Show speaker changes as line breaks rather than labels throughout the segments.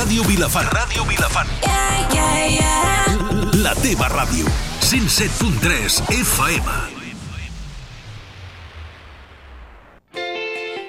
Ràdio Vilafant. Ràdio Vilafant. La teva ràdio. 107.3 FM.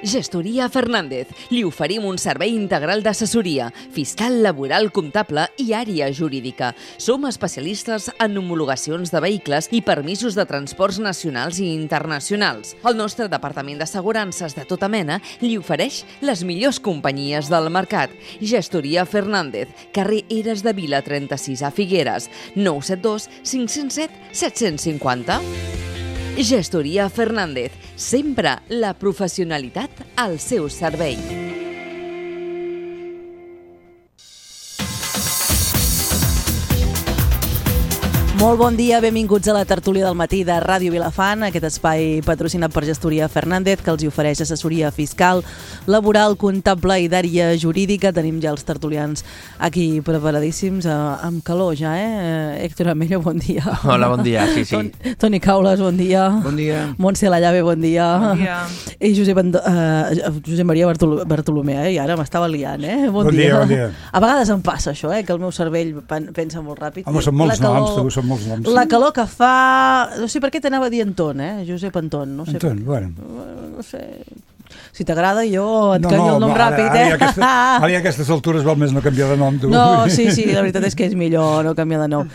Gestoria Fernández. Li oferim un servei integral d'assessoria, fiscal, laboral, comptable i àrea jurídica. Som especialistes en homologacions de vehicles i permisos de transports nacionals i internacionals. El nostre departament d'assegurances de tota mena li ofereix les millors companyies del mercat. Gestoria Fernández, carrer Eres de Vila 36 a Figueres, 972 507 750. Gestoria Fernández, sempre la professionalitat al seu servei.
Molt bon dia, benvinguts a la tertúlia del matí de Ràdio Vilafant, aquest espai patrocinat per Gestoria Fernández, que els ofereix assessoria fiscal, laboral, comptable i d'àrea jurídica. Tenim ja els tertulians aquí preparadíssims, amb calor ja, Héctor Amello, bon dia.
Hola, bon dia, sí.
Toni Caules, bon dia.
Bon dia.
Montse Lallave, bon dia.
Bon dia.
I Josep Maria Bartolomé, i ara m'estava liant, Bon dia.
Bon dia.
A vegades em passa això, que el meu cervell pensa molt ràpid.
Home, són molts noms, tu, són molts noms.
La calor que fa... No sé per què t'anava a dir Anton, Josep Anton. No sé
Anton, bueno.
No sé... Si t'agrada, jo et canvio el nom ràpid,
Ara a aquestes altures val més no canviar de nom, tu.
No, sí, la veritat és que és millor no canviar de nom.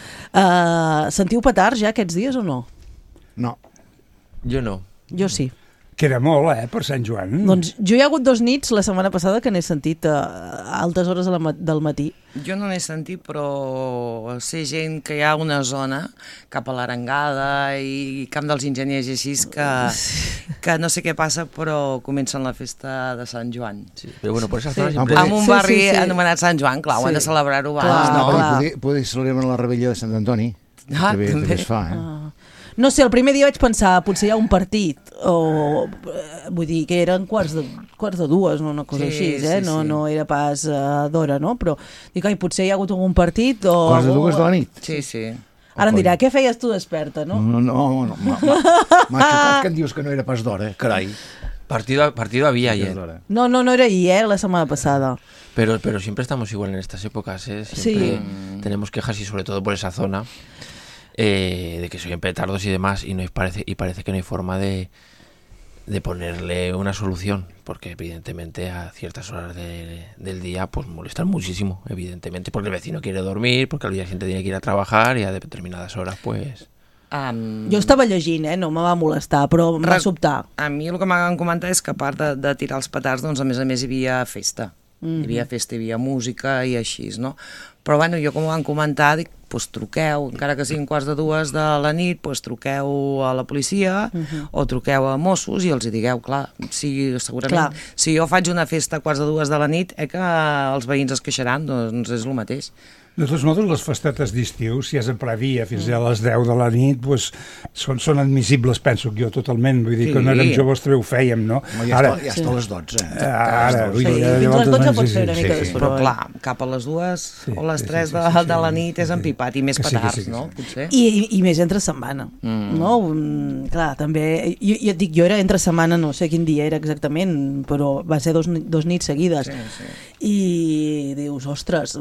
Sentiu petards ja aquests dies o no?
No.
Jo no.
Jo sí.
Queda molt, per Sant Joan.
Doncs jo hi ha hagut 2 nits la setmana passada que n'he sentit a altes hores del matí.
Jo no n'he sentit, però sé gent que hi ha una zona cap a l'Arengada i Camp dels Enginyers i així que no sé què passa, però comencen la festa de Sant Joan.
Sí, però bueno, per esa zona sempre...
En un barri anomenat Sant Joan, clar, ho han de celebrar-ho abans.
Poder celebrar la rebella de Sant Antoni. També es fa,
No sé, el primer dia vaig pensar, potser hi ha un partit, o vull dir que eren quarts de 2, no, una cosa així, no era pas d'hora, no? Però dic, potser hi ha hagut algun partit o...
Quarts de 2 de la nit?
Sí.
Ara em dirà, què feies tu desperta, no?
No, m'ha xocat que em dius que no era pas d'hora, carai.
Partido había ayer.
No era ahir, la setmana passada.
Pero siempre estamos igual en estas épocas, Siempre tenemos quejas y sobre todo por esa zona. De que se oyen petardos y demás y parece que no hay forma de ponerle una solución, porque evidentemente a ciertas horas del día pues molestan muchísimo, evidentemente, porque el vecino quiere dormir, porque al día siguiente tiene que ir a trabajar y a determinadas horas pues...
Jo estava llegint, no me va molestar, però em va sobtar.
A mi el que m'han comentat és que a part de tirar els petards, doncs a més hi havia festa. Hi havia festa, hi havia música i així, no? Però bueno, jo com ho van comentar, dic, doncs truqueu, encara que siguin quarts de 2 de la nit, doncs truqueu a la policia o truqueu a Mossos i els hi digueu, clar, segurament, si jo faig una festa a quarts de 2 de la nit, que els veïns es queixaran, doncs és el mateix.
De tots modos, les festetes d'estiu, si és a ple dia fins a les 10 de la nit, doncs són admissibles, penso jo, totalment. Vull dir que quan érem joves també ho fèiem, no?
Ja està a les 12.
Ara,
fins a les 12 pot fer una mica de
però clar, cap a les 2 o les 3 de la nit és empipat i més petards, no? Potser.
I més entre setmana, no? Clar, també... Jo et dic, jo era entre setmana, no sé quin dia era exactament, però va ser 2 nits seguides. I dius, ostres...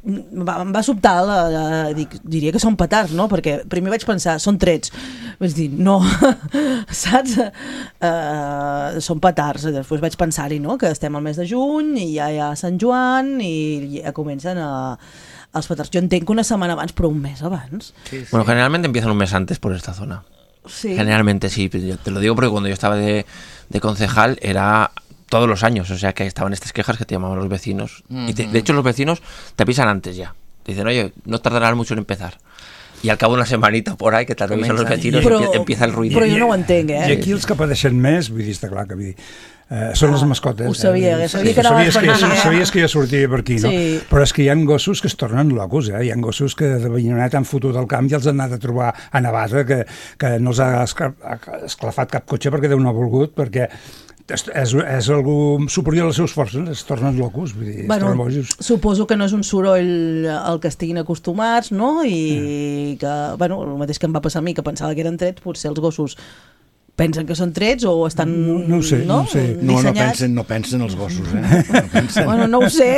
Em va sobtar, diria que són petards, no? Perquè primer vaig pensar, són trets. Vaig dir, no, saps? Són petards. Després vaig pensar-hi, no? Que estem al mes de juny i ja hi ha Sant Joan i ja comencen els petards. Jo entenc que una setmana abans, però un mes abans.
Bueno, generalmente empiezan un mes antes por esta zona.
Sí.
Generalmente sí, te lo digo porque cuando yo estaba de concejal era... todos los años, o sea que estaban estas quejas que te llamaban los vecinos. Y de hecho los vecinos te avisan antes ya. Te dicen, oye, no tardarán mucho en empezar. Y al cabo de una semanita por ahí que te revisan los vecinos y empieza el ruido.
Però jo no ho entenc,
I aquí els que pateixen més, vull dir, està clar que vull dir, són les mascotes.
Ho sabia que anaves per aquí.
Sabies que jo sortia per aquí, no?
Sí.
Però és que hi ha gossos que es tornen locos, Hi ha gossos que de veïnonet han fotut al camp i els han anat a trobar a Navata, que no els ha esclafat cap cotxe perquè Déu no ha volgut, perquè és algú superior a les seves forces, es tornen locos, vull dir, es tornen bojos.
Suposo que no és un soroll al que estiguin acostumats, no? I que, bueno, el mateix que em va passar a mi, que pensava que eren trets, potser els gossos pensen que són trets o estan
No ho sé, no ho sé.
dissenyats?
No pensen els gossos, No pensen.
Bueno, no ho sé,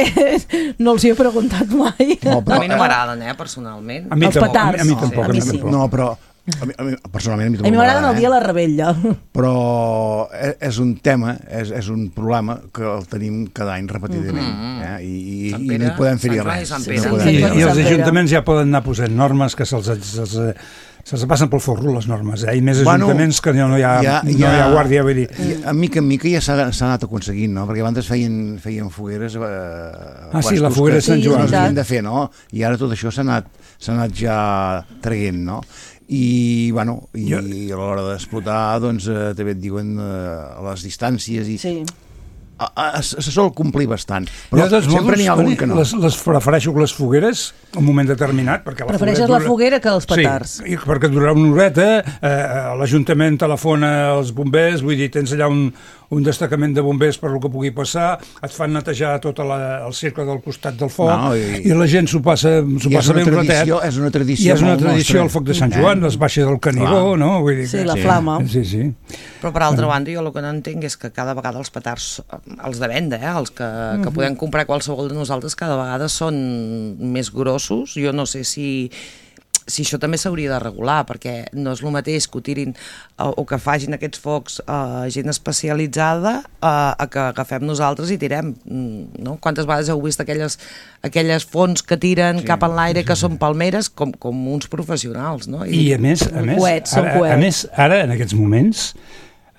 no els hi he preguntat mai.
No,
A mi no m'agraden, personalment.
A mi
Els
tampoc,
petards.
a mi tampoc.
A mi sí.
No, però a mi, personalment a mi
A mi m'agraden el dia de la rebella.
Però és un tema, és un problema que el tenim cada any repetidament, i no hi podem fer-hi res.
I els ajuntaments ja poden anar posant normes que se'ls passen pel forro, les normes, i més ajuntaments que no hi ha guàrdia, vull dir.
A mica en mica ja s'ha anat aconseguint, no? Perquè abans feien fogueres
la foguera de Sant Joan.
Que s'havien de fer, no? I ara tot això s'ha anat ja traient, no? I a l'hora d'explotar doncs també et diuen les distàncies i se sol complir bastant, però sempre n'hi ha algun que no.
Les prefereixo les fogueres en un moment determinat, perquè
prefereixes la foguera que els petards?
Sí, perquè durarà una horeta, l'Ajuntament telefona als bombers, vull dir, tens allà un destacament de bombers per el que pugui passar, et fan netejar tot el cercle del costat del foc, i la gent s'ho passa ben un ratet.
És una tradició.
I és una tradició el foc de Sant Joan, es baixa del Canigó, no?
Sí, la flama.
Sí.
Però per altra banda, jo el que no entenc és que cada vegada els petards, els de venda, els que podem comprar qualsevol de nosaltres, cada vegada són més grossos. Jo no sé si això també s'hauria de regular, perquè no és el mateix que ho tirin o que facin aquests focs gent especialitzada a que agafem nosaltres i tirem, no? Quantes vegades heu vist aquelles fonts que tiren cap en l'aire que són palmeres com uns professionals, no?
I a més, ara en aquests moments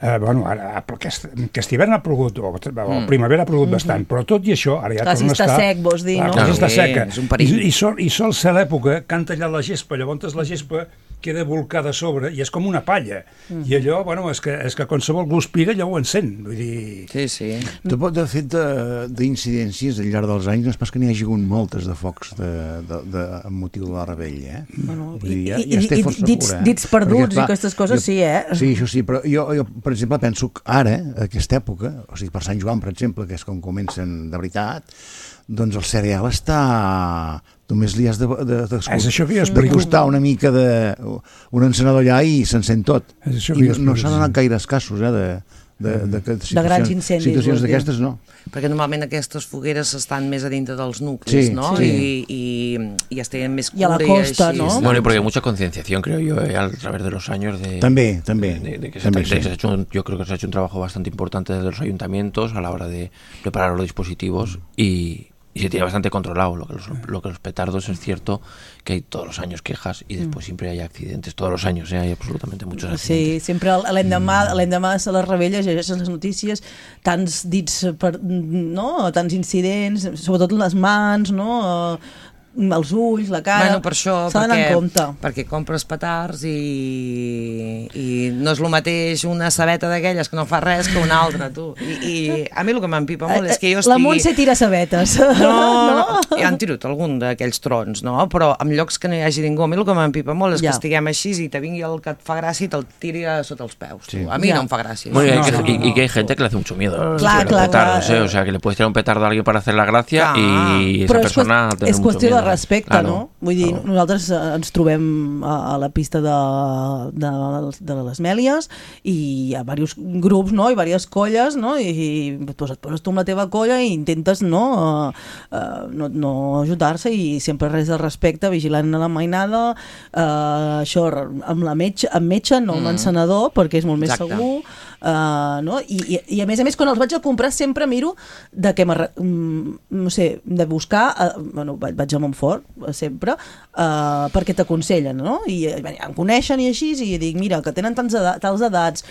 aquest hivern ha plogut, o primavera ha plogut bastant, però tot i això, ara ja torna a estar...
Està sec, vols dir, no?
Està seca.
És un perill.
I sol ser l'època que han tallat la gespa, llavors la gespa queda volcada a sobre i és com una palla. I allò, és que qualsevol guspira ja ho encén. Vull dir...
Sí.
De fet, d'incidències al llarg dels anys, no és pas que n'hi hagi hagut moltes de focs amb motiu de la rebella,
I dits perduts i aquestes coses, sí,
Sí, això sí, però jo per exemple, penso que ara, aquesta època, o sigui, per Sant Joan, per exemple, que és com comencen de veritat, doncs el cereal està... Només li has de costar una mica d'un encenedor allà i s'encén tot. I no s'han anat gaire escassos,
de grans incendis.
Situacions d'aquestes, no.
Perquè normalment aquestes fogueres estan més a dintre dels nuclis, ¿no? Y es tienen més cura.
Y a la costa, ¿no?
Bueno, y porque hay mucha concienciación, creo yo, a través de los años.
También.
Yo creo que se ha hecho un trabajo bastante importante desde los ayuntamientos a la hora de preparar los dispositivos y se tiene bastante controlado. Lo que los petardos es cierto que hay todos los años quejas y después siempre hay accidentes, todos los años, hay absolutamente muchos accidentes.
Sí, sempre l'endemà de les rebelles llegeixes les notícies, tants dits, tants incidents, sobretot les mans, no? Els ulls, la cara,
per això,
s'ha d'anar en compte.
Perquè compres petards i no és el mateix una sabeta d'aquelles que no fa res que una altra, tu. I a mi el que m'empipa molt és que jo estigui...
La Montse tira sabetes.
No, ja han tirat algun d'aquells trons, no? Però en llocs que no hi hagi ningú, a mi el que m'empipa molt és que estiguem així i te vingui el que et fa gràcia i te'l tiri sota els peus. A mi no em fa gràcia.
Y que hay gente que le hace mucho miedo.
Claro.
O sea, que le puedes tirar un petardo a alguien para hacer la gracia y esa persona tiene mucho miedo.
Respecte, no? Vull dir, nosaltres ens trobem a la pista de les Mèlies i hi ha diversos grups, no? I diverses colles, no? I et poses tu amb la teva colla i intentes no ajudar-se i sempre res de respecte, vigilant a la mainada, això amb metge, no amb l'encenedor, perquè és molt més segur, no? I a més, quan els vaig a comprar sempre miro de què no sé, de buscar, vaig a Montfort sempre, perquè t'aconsellen, no? I em coneixen i així, i dic, mira, que tenen tals edats,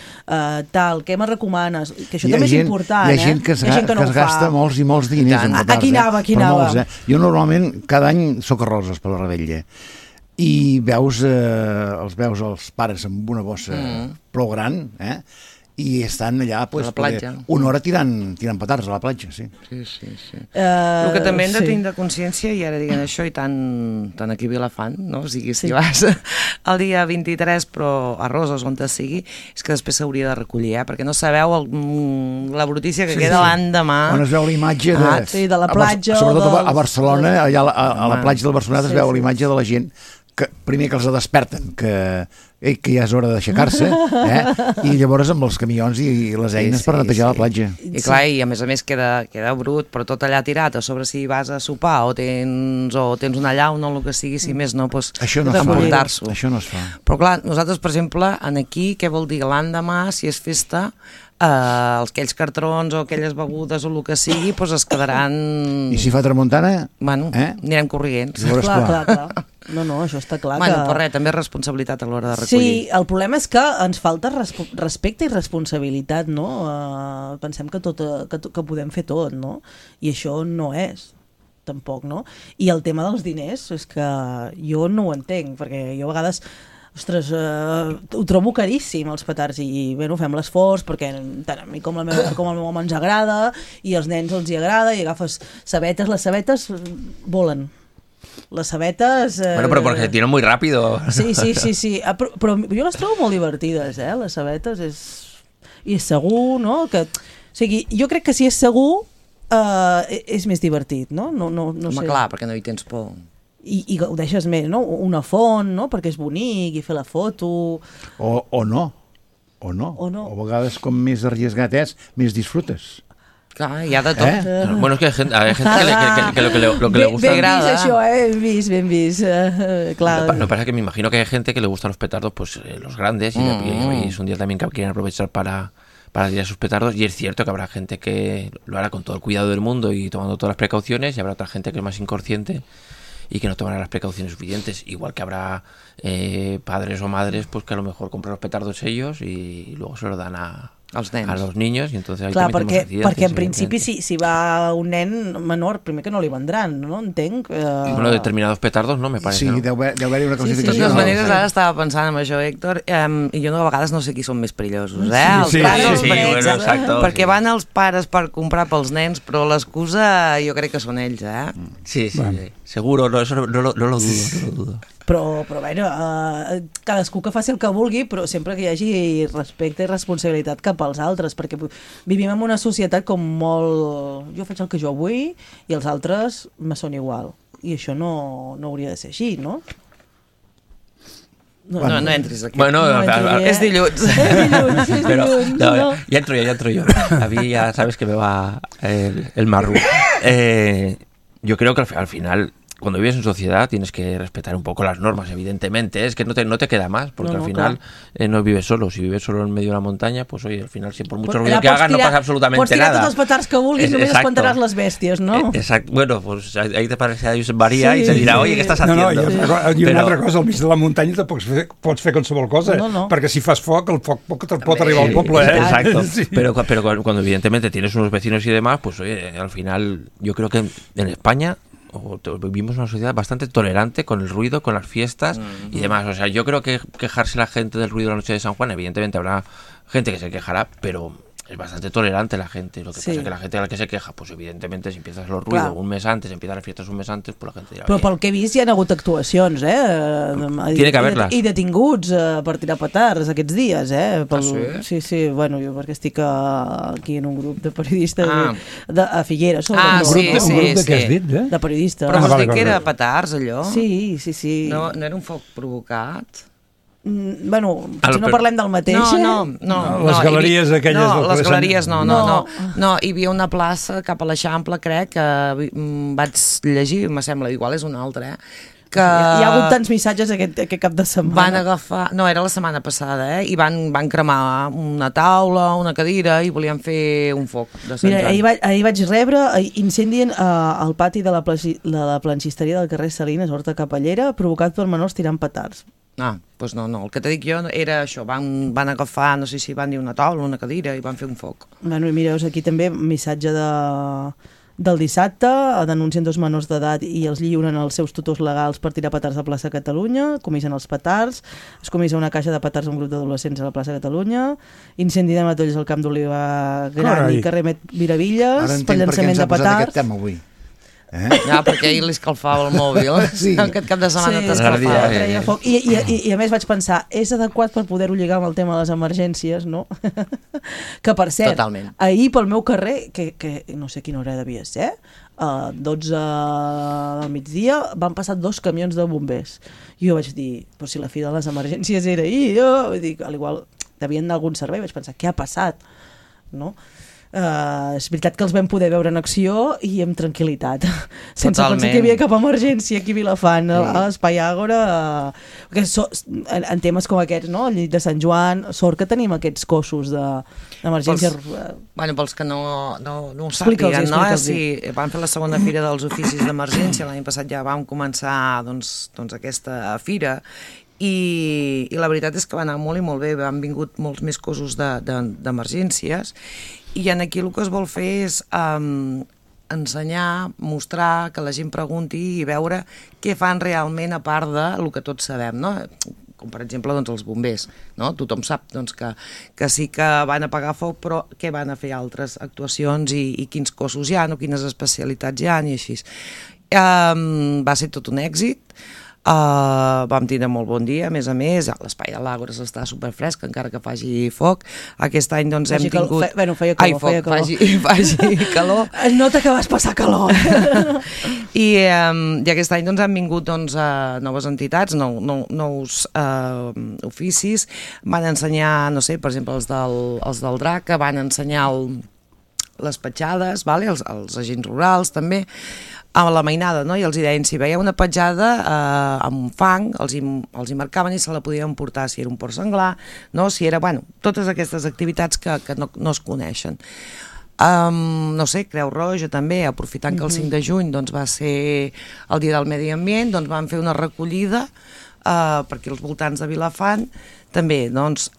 tal, què me recomanes? Que això també és important,
Hi ha gent que es gasta molts i molts diners en petards.
Aquí anava.
Jo normalment cada any soc a Roses per la rebella i els veus els pares amb una bossa prou gran, i estan allà
a la platja.
Una hora tirant petards a la platja, sí.
El que també hem de tenir de consciència, i ara diguem això, i tant aquí a Vilafant, no? O sigui, si vas el dia 23, però a Roses, on te sigui, és que després s'hauria de recollir, perquè no sabeu la brutícia que queda l'endemà.
On es veu la imatge
de la platja.
Sobretot a Barcelona, allà a la platja del Barcelonat es veu la imatge de la gent que primer que els desperten, que que ja és hora d'aixecar-se, i llavors amb els camions i les eines per netejar la platja.
I clar, i a més queda brut, però tot allà tirat, a sobre si vas a sopar o tens una llauna o el que sigui, si més no, doncs
això no es fa.
Però clar, nosaltres, per exemple, aquí, què vol dir? L'endemà, si és festa, aquells cartrons o aquelles begudes o el que sigui, doncs es quedaran...
I si fa tramuntana?
Bueno, anirem corrients.
Clar. No, això està clar.
Bueno, però res, també és responsabilitat a l'hora de recollir.
Sí, el problema és que ens falta respecte i responsabilitat, no? Pensem que podem fer tot, no? I això no és, tampoc, no? I el tema dels diners és que jo no ho entenc, perquè jo a vegades... Ostres, ho trobo caríssim, els petards, i bé, fem l'esforç, perquè tant a mi com al meu home ens agrada, i als nens els hi agrada, i agafes sabetes, les sabetes volen. Les sabetes...
Bueno, però perquè se tiran muy rápido.
Sí. Però jo les trobo molt divertides, les sabetes, i és segur, no? O sigui, jo crec que si és segur, és més divertit, no? No sé.
Home, clar, perquè no hi tens por.
I ho deixes més, no? Una font, no? Perquè és bonic, i fer la foto...
O no. O a vegades, com més arriesgat és, més disfrutes.
Clar, hi ha de tot.
Bueno, es que hay gente que lo que le gusta...
Ben vist això, ben vist. Claro.
Lo que pasa es que me imagino que hay gente que le gustan los petardos, pues los grandes, y es un día también que quieren aprovechar para tirar sus petardos, y es cierto que habrá gente que lo hará con todo el cuidado del mundo y tomando todas las precauciones, y habrá otra gente que es más inconsciente y que no tomará las precauciones suficientes, igual que habrá padres o madres pues que a lo mejor compran los petardos ellos y luego se lo dan a los niños, i entonces ahí
clar,
també
perquè en principi si va un nen menor, primer que no li vendran, no? Entenc.
Bueno, determinados petardos no, me parece.
Sí,
¿no?
deu haver-hi una classificació.
De totes maneres, ara estava pensant en això, Héctor, i jo a vegades no sé qui són més perillosos, els pares o els petits,
bueno, exacto,
perquè van els pares per comprar pels nens, però l'excusa jo crec que són ells,
Sí, bueno. Seguro, no, eso no lo dudo.
Però bueno, cadascú que faci el que vulgui, però sempre que hi hagi respecte i responsabilitat cap als altres, perquè vivim en una societat com molt... Jo faig el que jo vull i els altres me són igual. I això no hauria de ser així, no?
No entris aquí.
Bueno,
es dilluns.
Pero, ya entro yo. A mí ya sabes que me va el marru. Yo creo que al final... Cuando vives en sociedad tienes que respetar un poco las normas, evidentemente. Es que no te queda más, porque al final no vives solo. Si vives solo en medio de la montaña, pues oye, al final, si por mucho ruido que hagas, no pasa absolutamente nada.
Pots tirar tots els petards que vulguis, només espantaràs les bèsties, no?
Exacto. Bueno, pues ahí te parece a Josep María y se dirá, oye, ¿qué estás haciendo?
I una altra cosa, al mig de la muntanya tampoc pots fer qualsevol cosa, perquè si fas foc, el foc pot arribar al poble.
Exacto. Pero cuando evidentemente tienes unos vecinos y demás, pues oye, al final, yo creo que en España vivimos una sociedad bastante tolerante con el ruido, con las fiestas y demás. O sea, yo creo que quejarse la gente del ruido de la noche de San Juan, evidentemente habrá gente que se quejará, pero es bastante tolerante la gente. Lo que pasa es que la gente a la que se queja, pues evidentemente si empiezas los ruidos un mes antes, empiezas las fiestas un mes antes, pues la gente dirà...
Però pel que he vist hi ha hagut actuacions,
Tiene que haberlas.
I detinguts per tirar petards aquests dies,
Sí?
Sí, bueno, jo perquè estic aquí en un grup de periodistes a Figueres.
Un grup
de què has dit,
de periodistes.
Però vols dir que era petards, allò?
Sí.
No era un foc provocat?
Bueno, potser no parlem del mateix.
No.
Les galeries aquelles...
No, les galeries no. Hi havia una plaça cap a l'Eixample, crec, que vaig llegir, me sembla, igual és una altra, que...
Hi ha hagut tants missatges aquest cap de setmana.
Van agafar... No, era la setmana passada, i van cremar una taula, una cadira, i volien fer un foc de Sant Joan.
Mira, ahir vaig rebre, incendien al pati de la planxisteria del carrer Salines, Horta Capellera, provocat per menors tirant petards.
Doncs no, el que t'he dit jo era això, van agafar, no sé si van dir una taula, una cadira, i van fer un foc.
Bueno, i mireu, aquí també missatge del dissabte, denuncien 2 menors d'edat i els lliuren els seus tutors legals per tirar petards a plaça Catalunya, comisen els petards, es comissa una caixa de petards a un grup d'adolescents a la plaça Catalunya, incendi de matolls al Camp d'Oliva Gran i carrer Miravilles, per llançament de petards.
Aquest tema avui.
Ja, perquè ahir li escalfava el mòbil. Sí. Aquest cap de setmana t'escalfava.
Treia foc. I a més vaig pensar, és adequat per poder-ho lligar amb el tema de les emergències, no? Que per cert,
totalment.
Ahir pel meu carrer, que no sé quina hora devia ser, 12 del migdia, van passar 2 camions de bombers. I jo vaig dir, però si la fi de les emergències era ahir, vull dir, al igual devien anar a algun servei, vaig pensar, què ha passat? No? És veritat que els vam poder veure en acció i amb tranquil·litat, sense pensar que hi havia cap emergència aquí a Vilafant, a l'Espai Àgora, en temes com aquests, no? Al llit de Sant Joan, sort que tenim aquests cossos d'emergència.
Bueno, pels que no ho sàpiguen, no? Sí, vam fer la segona fira dels oficis d'emergència, l'any passat ja vam començar doncs aquesta fira, i la veritat és que va anar molt i molt bé, han vingut molts més cossos d'emergències, i aquí el que es vol fer és ensenyar, mostrar, que la gent pregunti i veure què fan realment a part del que tots sabem, no? Com per exemple doncs, els bombers, no? Tothom sap doncs, que sí que van apagar foc, però què van a fer altres actuacions i quins cossos hi ha, o quines especialitats hi ha i així. Va ser tot un èxit. Vam tindre molt bon dia, a més, l'espai de l'Àgora està superfresc, encara que faci foc. Aquest any doncs hem tingut...
Feia calor.
Faci calor.
Es nota que vas passar calor.
I aquest any doncs han vingut noves entitats, nous oficis, van ensenyar, no sé, per exemple, els del DRAC, que van ensenyar les petjades, els agents rurals també, a la mainada, no? I els deien, si veia una petjada amb fang, els hi marcaven i se la podien portar, si era un porc senglar, no? Si era, totes aquestes activitats que no es coneixen. No sé, Creu Roja també, aprofitant que el 5 de juny doncs, va ser el Dia del Medi Ambient, doncs van fer una recollida per aquí als voltants de Vilafant. També, doncs,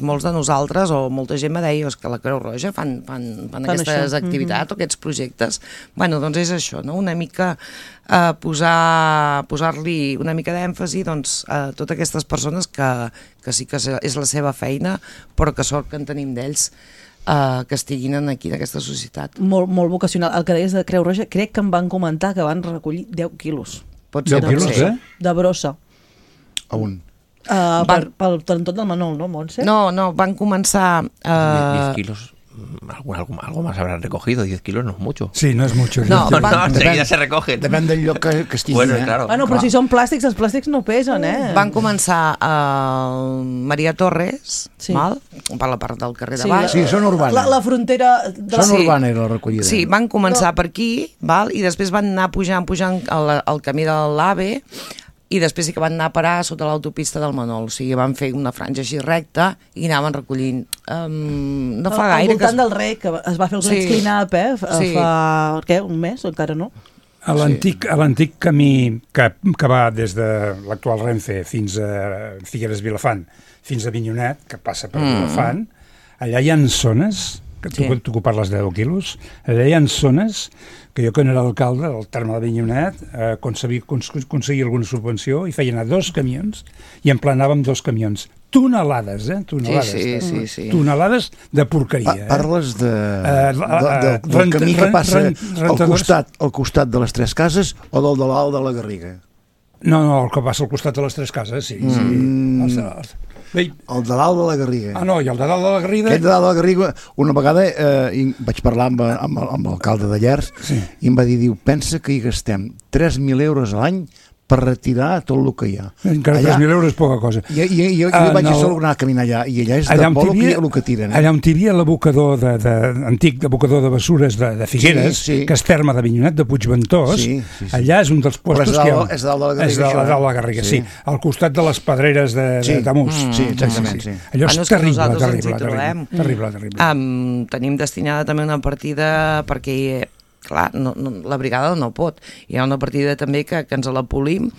molts de nosaltres o molta gent me deia que la Creu Roja fan aquestes activitats o aquests projectes. Doncs és això, no? Una mica posar-li una mica d'èmfasi a totes aquestes persones que sí que és la seva feina, però que sort que en tenim d'ells que estiguin aquí en aquesta societat.
Molt vocacional. El que deies de Creu Roja, crec que em van comentar que van recollir 10 quilos.
Pot ser 10 quilos,
de brossa.
A un?
Pel tot del Manol, ¿no, Montse?
No, van començar...
10 kilos, algo más habrán recogido, 10 kilos no es mucho.
Sí, no es mucho.
Enseguida se recogen.
Depèn del lloc que estigui.
Bueno, claro.
Però si són plàstics, els plàstics no pesen,
Van començar a Maria Torres, per la part del carrer de baix.
Sí, són urbana.
La frontera...
Són urbana la recollida.
Sí, van començar per aquí, i després van anar pujant al camí de l'AVE, i després sí que van anar a parar sota l'autopista del Manol, o sigui, van fer una franja així recta i anaven recollint. No fa gaire...
Al voltant del Rec, que es va fer el Let's Clean Up, fa un mes o encara no?
A l'antic camí que va des de l'actual Renfe fins a Figueres Vilafant, fins a Avinyonet, que passa per Vilafant, allà hi ha zones, que tu parles de 10 quilos, allà hi ha zones que jo, quan era alcalde del terme d'Avinyonet, aconseguia alguna subvenció i feia anar 2 camions i emplenàvem 2 camions. Tonelades, tonelades.
Sí.
Tonelades de porqueria.
Parles del camí que passa al costat de les 3 cases o del de l'Alt de la Garriga?
No, el que passa al costat de les 3 cases, sí.
El de l'Alt de la Garriga.
No, i el de dalt de la Garriga...
Aquest de dalt de la Garriga, una vegada vaig parlar amb l'alcalde de Llers i em va dir, pensa que hi gastem 3.000 euros a l'any per retirar tot el que hi ha.
Encara 3.000 euros és poca cosa.
Jo vaig anar a caminar allà i allà és de molt el que tiren.
Allà on hi havia l'abocador antic abocador de bessures de Figueres, que és terme d'Avinyonet, de Puigventós, allà és un dels puestos que hi ha.
És dalt de la Garriga.
És dalt de la Garriga, sí. Al costat de les pedreres d'Amus.
Sí, exactament.
Allò és terrible.
Tenim destinada també una partida perquè clar, la brigada no pot. Hi ha una partida també que ens la polim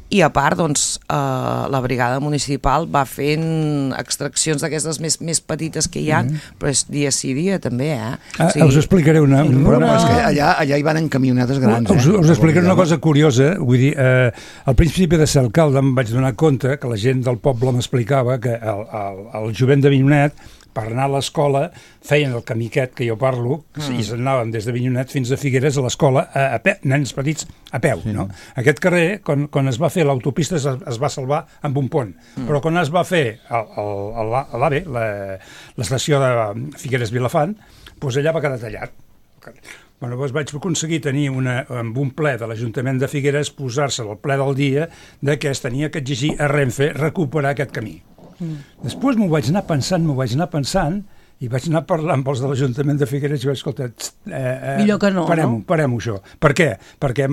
i a part, doncs, la brigada municipal va fent extraccions d'aquestes més petites que hi ha, però és dia sí, dia també,
Us explicaré una...
Però és que allà hi van en camionetes grans,
Us explicaré una cosa curiosa, vull dir, al principi de ser alcalde em vaig donar compte que la gent del poble m'explicava que el jovent d'Avinyonet per anar a l'escola feien el camí aquest que jo parlo i s'anaven des de Avinyonet fins a Figueres a l'escola, nens petits a peu, no? Aquest carrer, quan es va fer l'autopista es va salvar amb un pont, però quan es va fer l'AVE, l'estació de Figueres-Vilafant, doncs allà va quedar tallat. Bueno, doncs vaig aconseguir tenir amb un ple de l'Ajuntament de Figueres posar-se al ple del dia que es tenia que exigir a Renfe recuperar aquest camí. Després m'ho vaig anar pensant i vaig anar parlant amb els de l'Ajuntament de Figueres i vaig escoltar,
millor que no,
parem-ho això. Per què? Perquè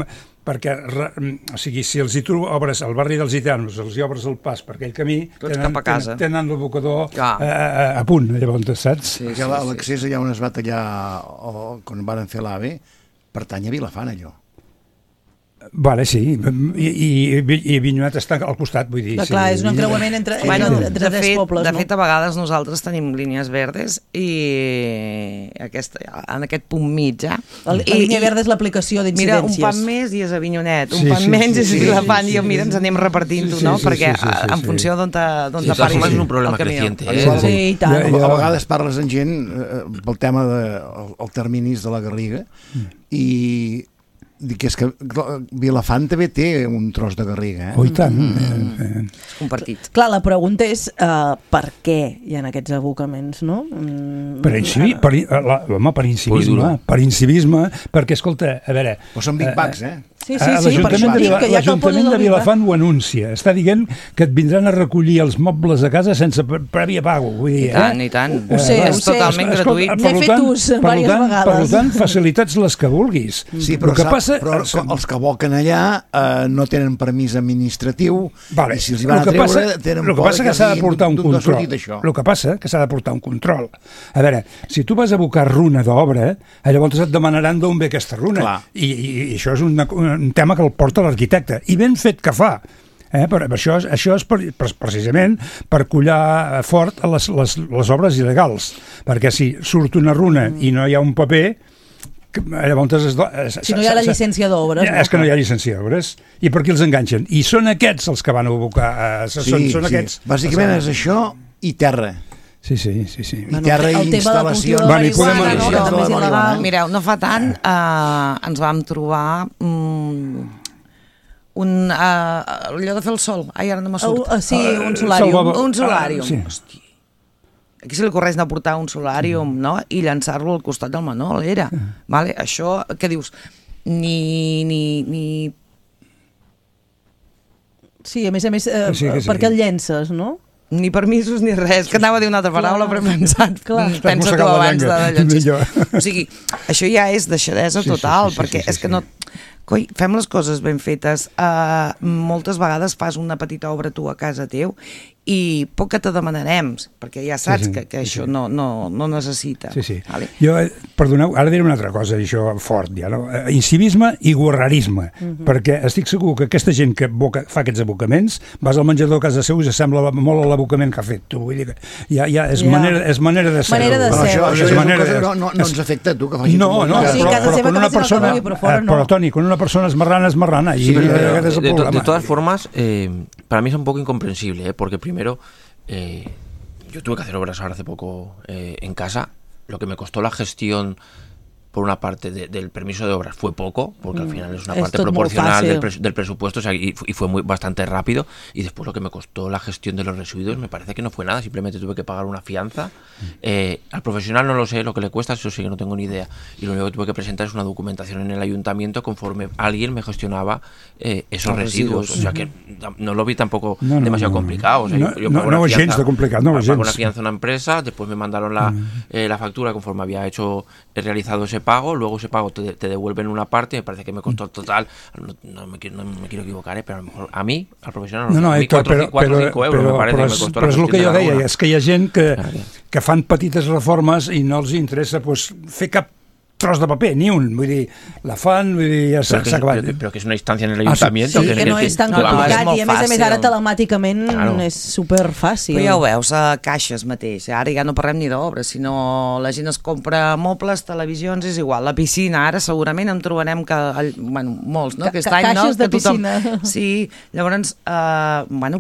o sigui, si els hi obres al barri dels Gitanos, els hi obres el pas per aquell camí, tenen l'abocador a punt, llavors, saps?
Sí, l'accés allà on es va tallar quan van fer l'AVE pertany a Vilafant, allò.
Vale, sí, i Avinyonet està al costat, vull dir...
Clar, és un encreuament entre tres pobles, no?
De fet, a vegades nosaltres tenim línies verdes i en aquest punt mig,
La línia verda és l'aplicació d'incidències.
Mira, un pan més i és Avinyonet, un pan menys és Vilafant, i mira, ens anem repartint-ho, no? Perquè en funció d'on t'apareix
és un problema creciente.
Sí, i tant.
A vegades parles amb gent pel tema dels terminis de la Garriga i dic, és que Vilafant també té un tros de Garriga,
Oh, i tant.
És compartit.
Clar, la pregunta és per què hi ha aquests abocaments, no?
Per incivisme, perquè, escolta, a veure...
Però són Big Bags,
Sí, per això dic que ja
l'Ajuntament de Vilafant ho anuncia. Està dient que et vindran a recollir els mobles a casa sense prèvia pago. Vull dir,
I tant.
Ho sé.
És totalment gratuït.
N'he fet ús diverses vegades.
Per tant, facilitats les que vulguis.
Sí, però els que aboquen allà no tenen permís administratiu i si els hi van a treure tenen por
que s'ha de portar un control. El que passa que s'ha de portar un control. A veure, si tu vas a abocar runa d'obra, llavors et demanaran d'on ve aquesta runa. I això és un tema que el porta l'arquitecte, i ben fet que fa. Però això és precisament per collar fort a les obres il·legals, perquè si surt una runa i no hi ha un paper,
si no hi ha la llicència d'obres,
és que no hi ha llicència d'obres, i per qui els enganxen? I són aquests els que van a abocar, són aquests.
Bàsicament és això i terra.
Sí.
I terra i instal·lacions.
Mireu, no fa tant ens vam trobar allò de fer el sol. Ai, ara no me surt.
Sí, un solàrium.
Un solàrium. Hòstia. Aquí se li correix de portar un solàrium, no? I llançar-lo al costat del Manol, era. Vale? Això, què dius? Ni...
Sí, a més, per què el llences, no?
Ni permisos ni res, que anava a dir una altra paraula, però he pensat, pensa tu abans de llençar. O sigui, això ja és deixadesa total, perquè és que no... Coi, fem les coses ben fetes. Moltes vegades fas una petita obra tu a casa teu i poc que te demanarem, perquè ja saps que això no necessita.
Vale? Jo, perdoneu, ara diré una altra cosa, això fort ja, no? Incivisme i guarrerisme, perquè estic segur que aquesta gent que fa aquests abocaments, vas al menjador a casa seu i s'assembla molt a l'abocament que ha fet tu, vull dir que ja és manera de ser.
No ens afecta a tu que facis
però quan una persona, però Toni, quan una persona es marrana i aquest és el problema.
De todas formas, para mí es un poco incomprensible, porque primero yo tuve que hacer obras ahora hace poco en casa. Lo que me costó la gestión por una parte del permiso de obras fue poco, porque al final es una parte proporcional del presupuesto, o sea, y fue bastante rápido, y después lo que me costó la gestión de los residuos me parece que no fue nada, simplemente tuve que pagar una fianza. Al profesional no lo sé lo que le cuesta, eso sí que no tengo ni idea, y lo único que tuve que presentar es una documentación en el ayuntamiento conforme alguien me gestionaba esos residuos, o sea que no lo vi tampoco demasiado complicado. O sea, yo pago una fianza, pago una fianza a una empresa, después me mandaron la factura conforme había realizado ese pago, luego ese pago te devuelven una parte, me parece que me costó total, no me quiero equivocar, pero a lo mejor a mí, al profesional, a mí 4 o 5 euros me parece que me costó.
Però és el que jo deia, és que hi ha gent que fan petites reformes i no els interessa fer cap tros de paper, ni un, vull dir, la fan, vull dir, ja s'ha acabat.
Però que és una instància en l'Ajuntamiento.
Sí, que no és tan complicat, i a més ara telemàticament és superfàcil.
Però ja ho veus, a caixes mateix, ara ja no parlem ni d'obres, sinó la gent es compra mobles, televisions, és igual, la piscina, ara segurament en trobarem molts, no? Aquest any,
caixes de piscina.
Sí, llavors,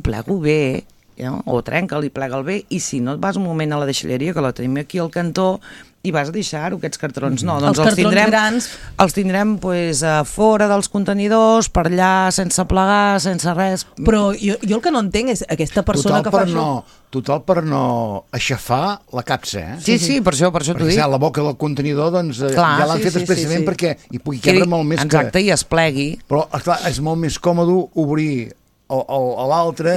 plego bé, o trenca-li, plega'l bé, i si no et vas un moment a la deixalleria, que la tenim aquí al cantó, i vas a deixar-ho, aquests cartrons no, doncs
els cartrons grans
els tindrem a fora dels contenidors, per allà, sense plegar, sense res.
Però jo el que no entenc és aquesta persona que fa això...
Total per no aixafar la capsa,
Sí, per això t'ho dic.
Perquè la boca del contenidor ja l'han fet expressament perquè hi pugui cabre molt més
Exacte, i es plegui.
Però, clar, és molt més còmode obrir a l'altre,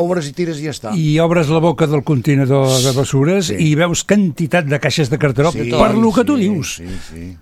obres i tires i ja està.
I obres la boca del contenidor de bessures i veus quantitat de caixes de cartró per lo que tu dius.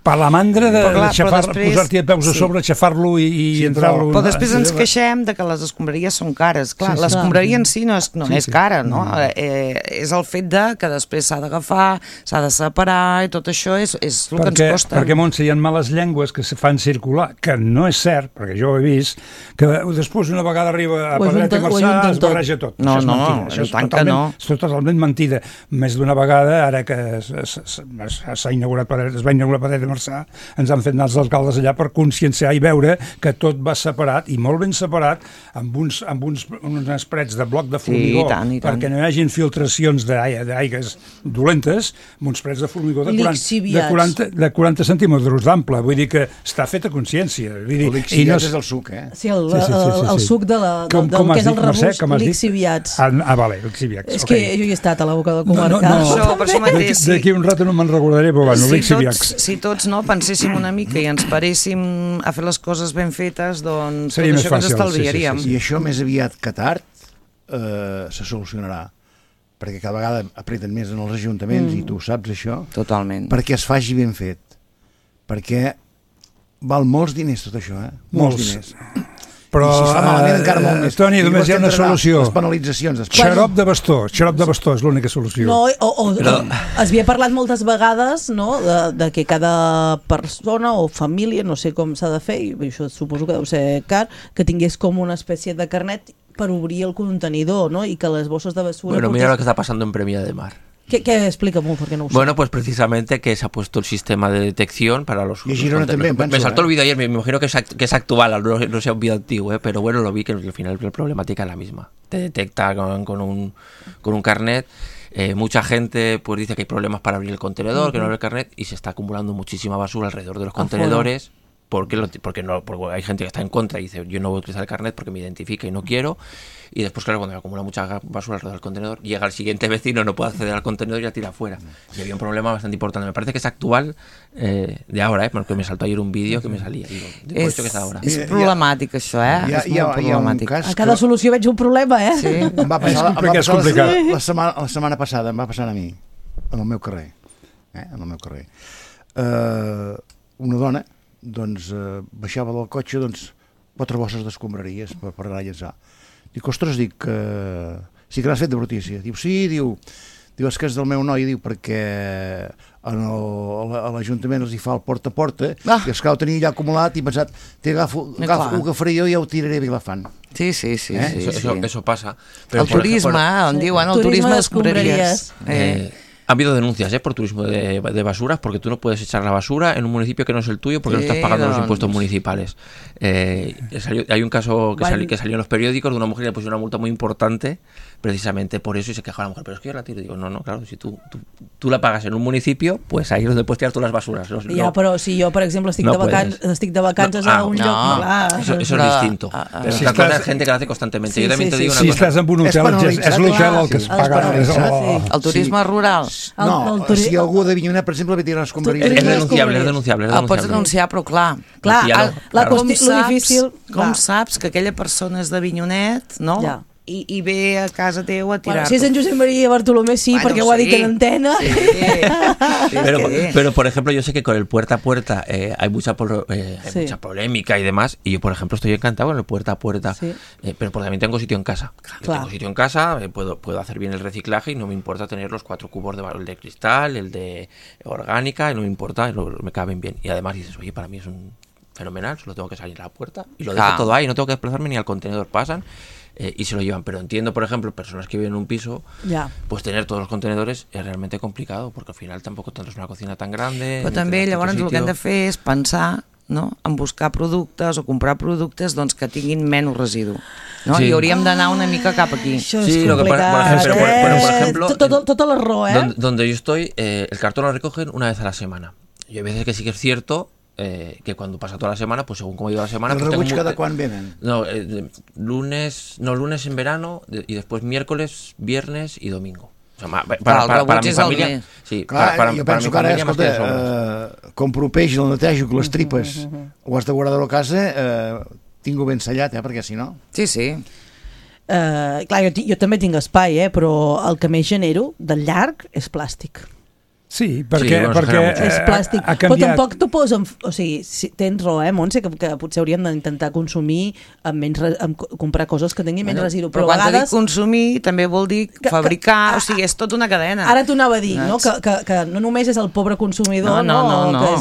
Per la mandra de posar-t'hi a peus a sobre, aixafar-lo i entrar-lo...
Però després ens queixem de que les escombraries són cares. Clar, l'escombraria en si no és cara, no? És el fet que després s'ha d'agafar, s'ha de separar, i tot això és el que ens costa.
Perquè, Montse, hi ha males llengües que se fan circular, que no és cert, perquè jo ho he vist, que després una vegada arriba a Pedret i Marçà es barreja tot.
No, és
totalment mentida. Més d'una vegada, ara que es va inaugurar Pedret i Marçà, ens han fet anar els alcaldes allà per conscienciar i veure que tot va separat, i molt ben separat, amb uns prets de bloc de formigó, perquè no hi hagin filtracions d'aigues dolentes, amb uns prets de formigó de 40 centímetres d'ample. Vull dir que està fet a consciència.
Lixiviats és el suc,
Sí, el suc del que és el rebús, lixiviats.
Vale, lixiviats.
És que jo hi he estat a la boca del comarcal.
Per això mateix.
D'aquí un rato no me'n recordaré, però bueno, lixiviats.
Si tots penséssim una mica i ens paréssim a fer les coses ben fetes, doncs
seria
tot això que ens estalviaríem.
I això més aviat que tard se solucionarà, perquè cada vegada apreten més en els ajuntaments, i tu saps això.
Totalment.
Perquè es faci ben fet. Perquè val molts diners tot això, molts diners.
Però,
si es fa malament encara molt més.
Toni, només hi ha una solució.
Les penalitzacions.
Xarop de bastó és l'única solució.
No, es havia parlat moltes vegades, no?, de que cada persona o família, no sé com s'ha de fer, i això suposo que deu ser car, que tingués com una espècie de carnet per obrir el contenidor, no?, i que les bosses de basura...
Bueno, mira lo que está pasando en Premia de Mar.
¿Qué explica-m'ho, porque no ho sé?
Bueno, pues precisamente que se ha puesto el sistema de detección para los...
Y Girona también,
me saltó el vídeo ayer, me imagino que es actual, no sea un vídeo antiguo, pero bueno, lo vi que al final la problemática es la misma. Te detecta con un carnet. Mucha gente pues dice que hay problemas para abrir el contenedor, que no abre el carnet, y se está acumulando muchísima basura alrededor de los contenedores. Porque hay gente que está en contra y dice, yo no voy a utilizar el carnet porque me identifica y no quiero. Y después, claro, cuando acumula mucha basura alrededor del contenedor, llega el siguiente vecino, no puede acceder al contenedor y la tira afuera. Y había un problema bastante importante. Me parece que es actual de ahora, porque me saltó ayer un vídeo que me salía. Digo, de esto que es ahora.
És problemàtic, això, és molt problemàtic.
A cada solució veig un problema,
Sí.
Em va passar la setmana passada, em va passar a mi, en el meu carrer. Una dona baixava del cotxe 4 bosses d'escombraries per relletzar. Dic, ostres, sí que l'has fet de brutícia. Diu, sí, diu, és que és del meu noi, diu, perquè a l'Ajuntament els hi fa el porta a porta, i els que ho tenia ja acumulat i pensat, ho agafaré jo i ja ho tiraré a Vilafant.
Sí.
Eso pasa.
El turisme, on diuen, el turisme d'escombraries.
Ha habido denuncias por turismo de basuras, porque tú no puedes echar la basura en un municipio que no es el tuyo porque no estás pagando los impuestos municipales. Hay un caso que salió en los periódicos de una mujer que le pusieron una multa muy importante precisamente por eso, y se quejaba la mujer, pero es que yo la tiro. Digo, no, claro, si tú la pagas en un municipio, pues ahí es donde puedes tirar todas las basuras.
Però si jo, per exemple, estic de vacances a un lloc...
Eso es distinto. Pero si hay gente que lo hace constantemente. Yo también te digo una cosa.
Si estás en un hotel, és l'hotel el que es paga.
El turisme rural.
No, si algú de Avinyonet, per exemple, ve tirar escombraries...
És denunciable.
El pots denunciar, però clar, com saps que aquella persona és d'Avinyonet, no? I ve a casa teu a tirar.
Si és en Josep María Bartolomé, sí, perquè ho ha dit en antena.
Pero, por ejemplo, yo sé que con el puerta a puerta hay mucha polémica y demás, y yo, por ejemplo, estoy encantado con el puerta a puerta, pero porque también tengo sitio en casa. Tengo sitio en casa, puedo hacer bien el reciclaje y no me importa tener los 4 cubos el de cristal, el de orgánica, y no me importa, me caben bien. Y además dices, oye, para mí es un fenomenal, solo tengo que salir a la puerta y lo dejo todo ahí, no tengo que desplazarme ni al contenedor, pasan. Y se lo llevan, pero entiendo, por ejemplo, personas que viven en un piso, pues tener todos los contenedores es realmente complicado, porque al final tampoco tendrás una cocina tan grande.
Però també llavors el que hem de fer és pensar, no? En buscar productes o comprar productes doncs, que tinguin menys residu. ¿no? Sí. I hauríem d'anar una mica cap aquí.
Això és complicat.
Por ejemplo,
tota la raó,
Donde yo estoy, el cartón lo recogen una vez a la semana. Y hay veces que sí que es cierto que cuando pasa toda la semana, pues según cómo iba la semana...
¿El rebuig cada quan venen?
No, lunes en verano y después miércoles, viernes y domingo. O sea, para mi familia... Sí,
clar, jo penso que ara, escolta, compro peix, el netejo, que les tripes ho has de guardar a la casa, tinc-ho ben sellat, perquè si no...
Sí, sí.
Clar, jo també tinc espai, però el que més genero del llarg és plàstic.
Sí, perquè
és plàstic, però tampoc t'ho posen, o sigui, tens raó, Montse, que potser hauríem d'intentar consumir comprar coses que tinguin menys residu,
però a vegades... Quan dic consumir també vol dir fabricar, o sigui, és tota una cadena.
Ara t'ho anava a dir, no? Que no només és el pobre consumidor,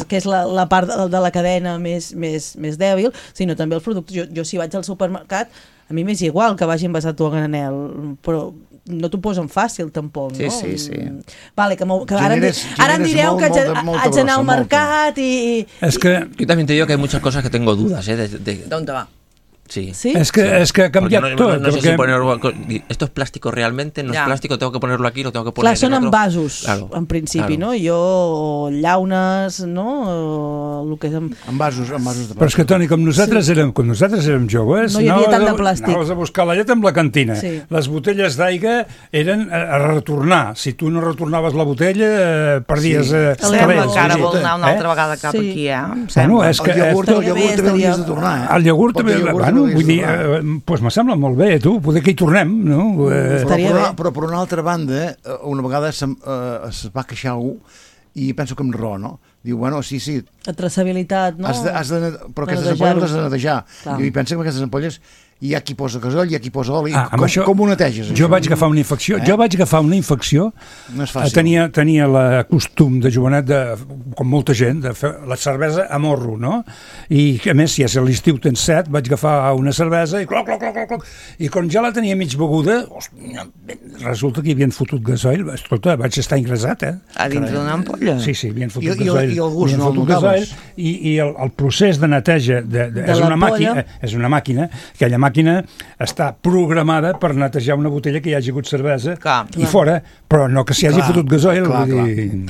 que és la part de la cadena més dèbil, sinó també els productes. Jo si vaig al supermercat, a mi m'és igual que vagi envasat a granel, però no t'ho posen fàcil tampoc, no?
Sí.
Vale, que ara em direu que haig d'anar al mercat i...
Es que yo también te digo que hay muchas cosas que tengo dudas,
¿Dónde va?
Sí.
Es que ha cambiat tot.
No sé si ponerlo... ¿Esto es plástico realmente? ¿No es plástico? ¿Tengo que ponerlo aquí? ¿Lo tengo que poner
en otro? Clar, són envasos, en principi, no? Jo, llaunes, no? El que és
envasos de plàstic.
Però és que, Toni, com nosaltres érem joves...
No hi havia tant de plàstic.
Anaves a buscar la llet amb la cantina. Les botelles d'aigua eren a retornar. Si tu no retornaves la botella, perdies...
Sembla que ara vol anar una altra vegada cap aquí,
Bueno, és que...
El iogurt també l'havies de tornar,
El iogurt també... Vull dir, doncs me sembla molt bé, tu, poder que hi tornem, no?
Però per una altra banda, una vegada es va queixar algú, i penso que amb raó, no? Diu, bueno, sí...
La traçabilitat, no?
Però aquestes ampolles les has de netejar. I pensa que aquestes ampolles hi ha qui posa gasoll, hi ha qui posa oli. Com ho neteges, això?
Jo vaig agafar una infecció.
No és fàcil.
Tenia el costum de jovenet, com molta gent, de fer la cervesa a morro, no? I, a més, si és a l'estiu tens set, vaig agafar una cervesa i cloc. I quan ja la tenia mig beguda, resulta que hi havien fotut gasoll. Escolta, vaig estar ingressat,
A dins d'una ampolla?
Sí, havien fotut gasoll.
I el gust no el notaves?
I el procés de neteja és una màquina, aquella màquina està programada per netejar una botella que hi hagi hagut cervesa i fora, però no que s'hi hagi fotut gasoil.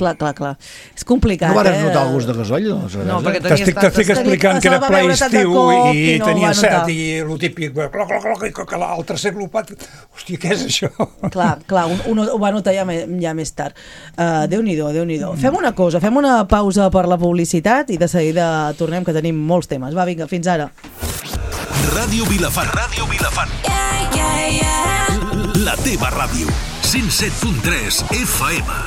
Clar. És complicat.
No vas notar el gust de gasoil?
No, perquè
t'estic explicant que era ple estiu i tenia set i el típic el tercer glopat, hòstia, què és això?
Clar, un ho va notar ja més tard. Déu-n'hi-do. Fem una cosa, fem una pausa per la publicitat i de seguida tornem, que tenim molts temes. Va, vinga, fins ara.
Ràdio Vilafant. La teva ràdio. 107.3 FM.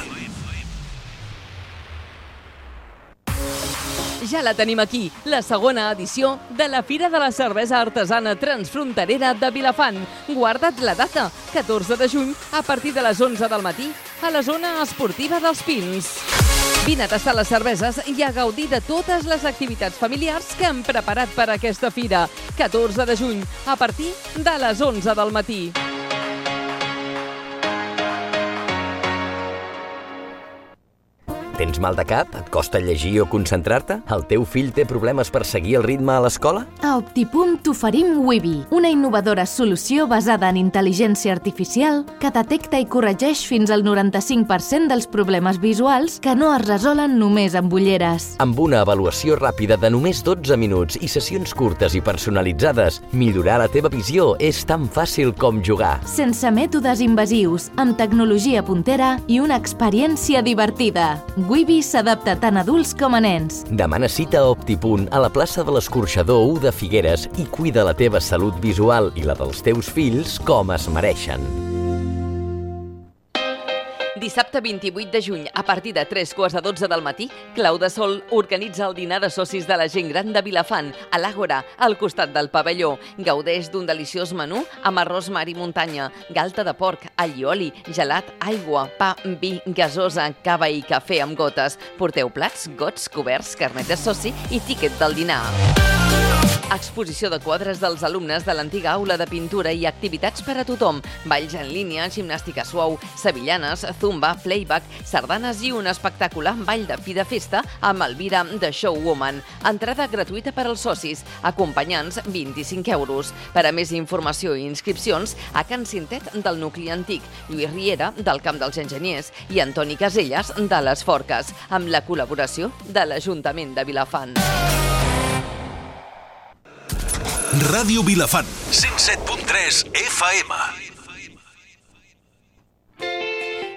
Ja la tenim aquí, la segona edició de la Fira de la Cervesa Artesana Transfronterera de Vilafant. Guarda't la data, 14 de juny, a partir de les 11 del matí, a la zona esportiva dels Pins. Vine a tastar les cerveses i a gaudir de totes les activitats familiars que hem preparat per a aquesta fira. 14 de juny, a partir de les 11 del matí.
Tens mal de cap? Et costa llegir o concentrar-te? El teu fill té problemes per seguir el ritme a l'escola?
A Optipunt t'oferim Wibi, una innovadora solució basada en intel·ligència artificial que detecta i corregeix fins al 95% dels problemes visuals que no es resolen només amb ulleres.
Amb una avaluació ràpida de només 12 minuts i sessions curtes i personalitzades, millorar la teva visió és tan fàcil com jugar.
Sense mètodes invasius, amb tecnologia puntera i una experiència divertida. Wibi s'adapta tant a adults com a nens.
Demana cita a Optipunt a la plaça de l'Escorxador 1 de Figueres i cuida la teva salut visual i la dels teus fills com es mereixen.
Dissabte 28 de juny, a partir de 3:15 del matí, Clau de Sol organitza el dinar de socis de la gent gran de Vilafant, a l'Àgora, al costat del pavelló. Gaudeix d'un deliciós menú amb arròs, mar i muntanya, galta de porc, allioli, gelat, aigua, pa, vi, gasosa, cava i cafè amb gotes. Porteu plats, gots, coberts, carnet de soci i tíquet del dinar. Exposició de quadres dels alumnes de l'antiga aula de pintura i activitats per a tothom. Balls en línia, gimnàstica suau, sevillanes, zumba, playback, sardanes i un espectacular ball de fi de festa amb Elvira de Showwoman. Entrada gratuïta per als socis. Acompanyants, 25 €. Per a més informació i inscripcions, a Can Cintet del nucli antic, Lluís Riera del Camp dels Enginyers i Antoni Caselles de les Forques, amb la col·laboració de l'Ajuntament de Vilafant.
Ràdio Vilafant, 107.3 FM.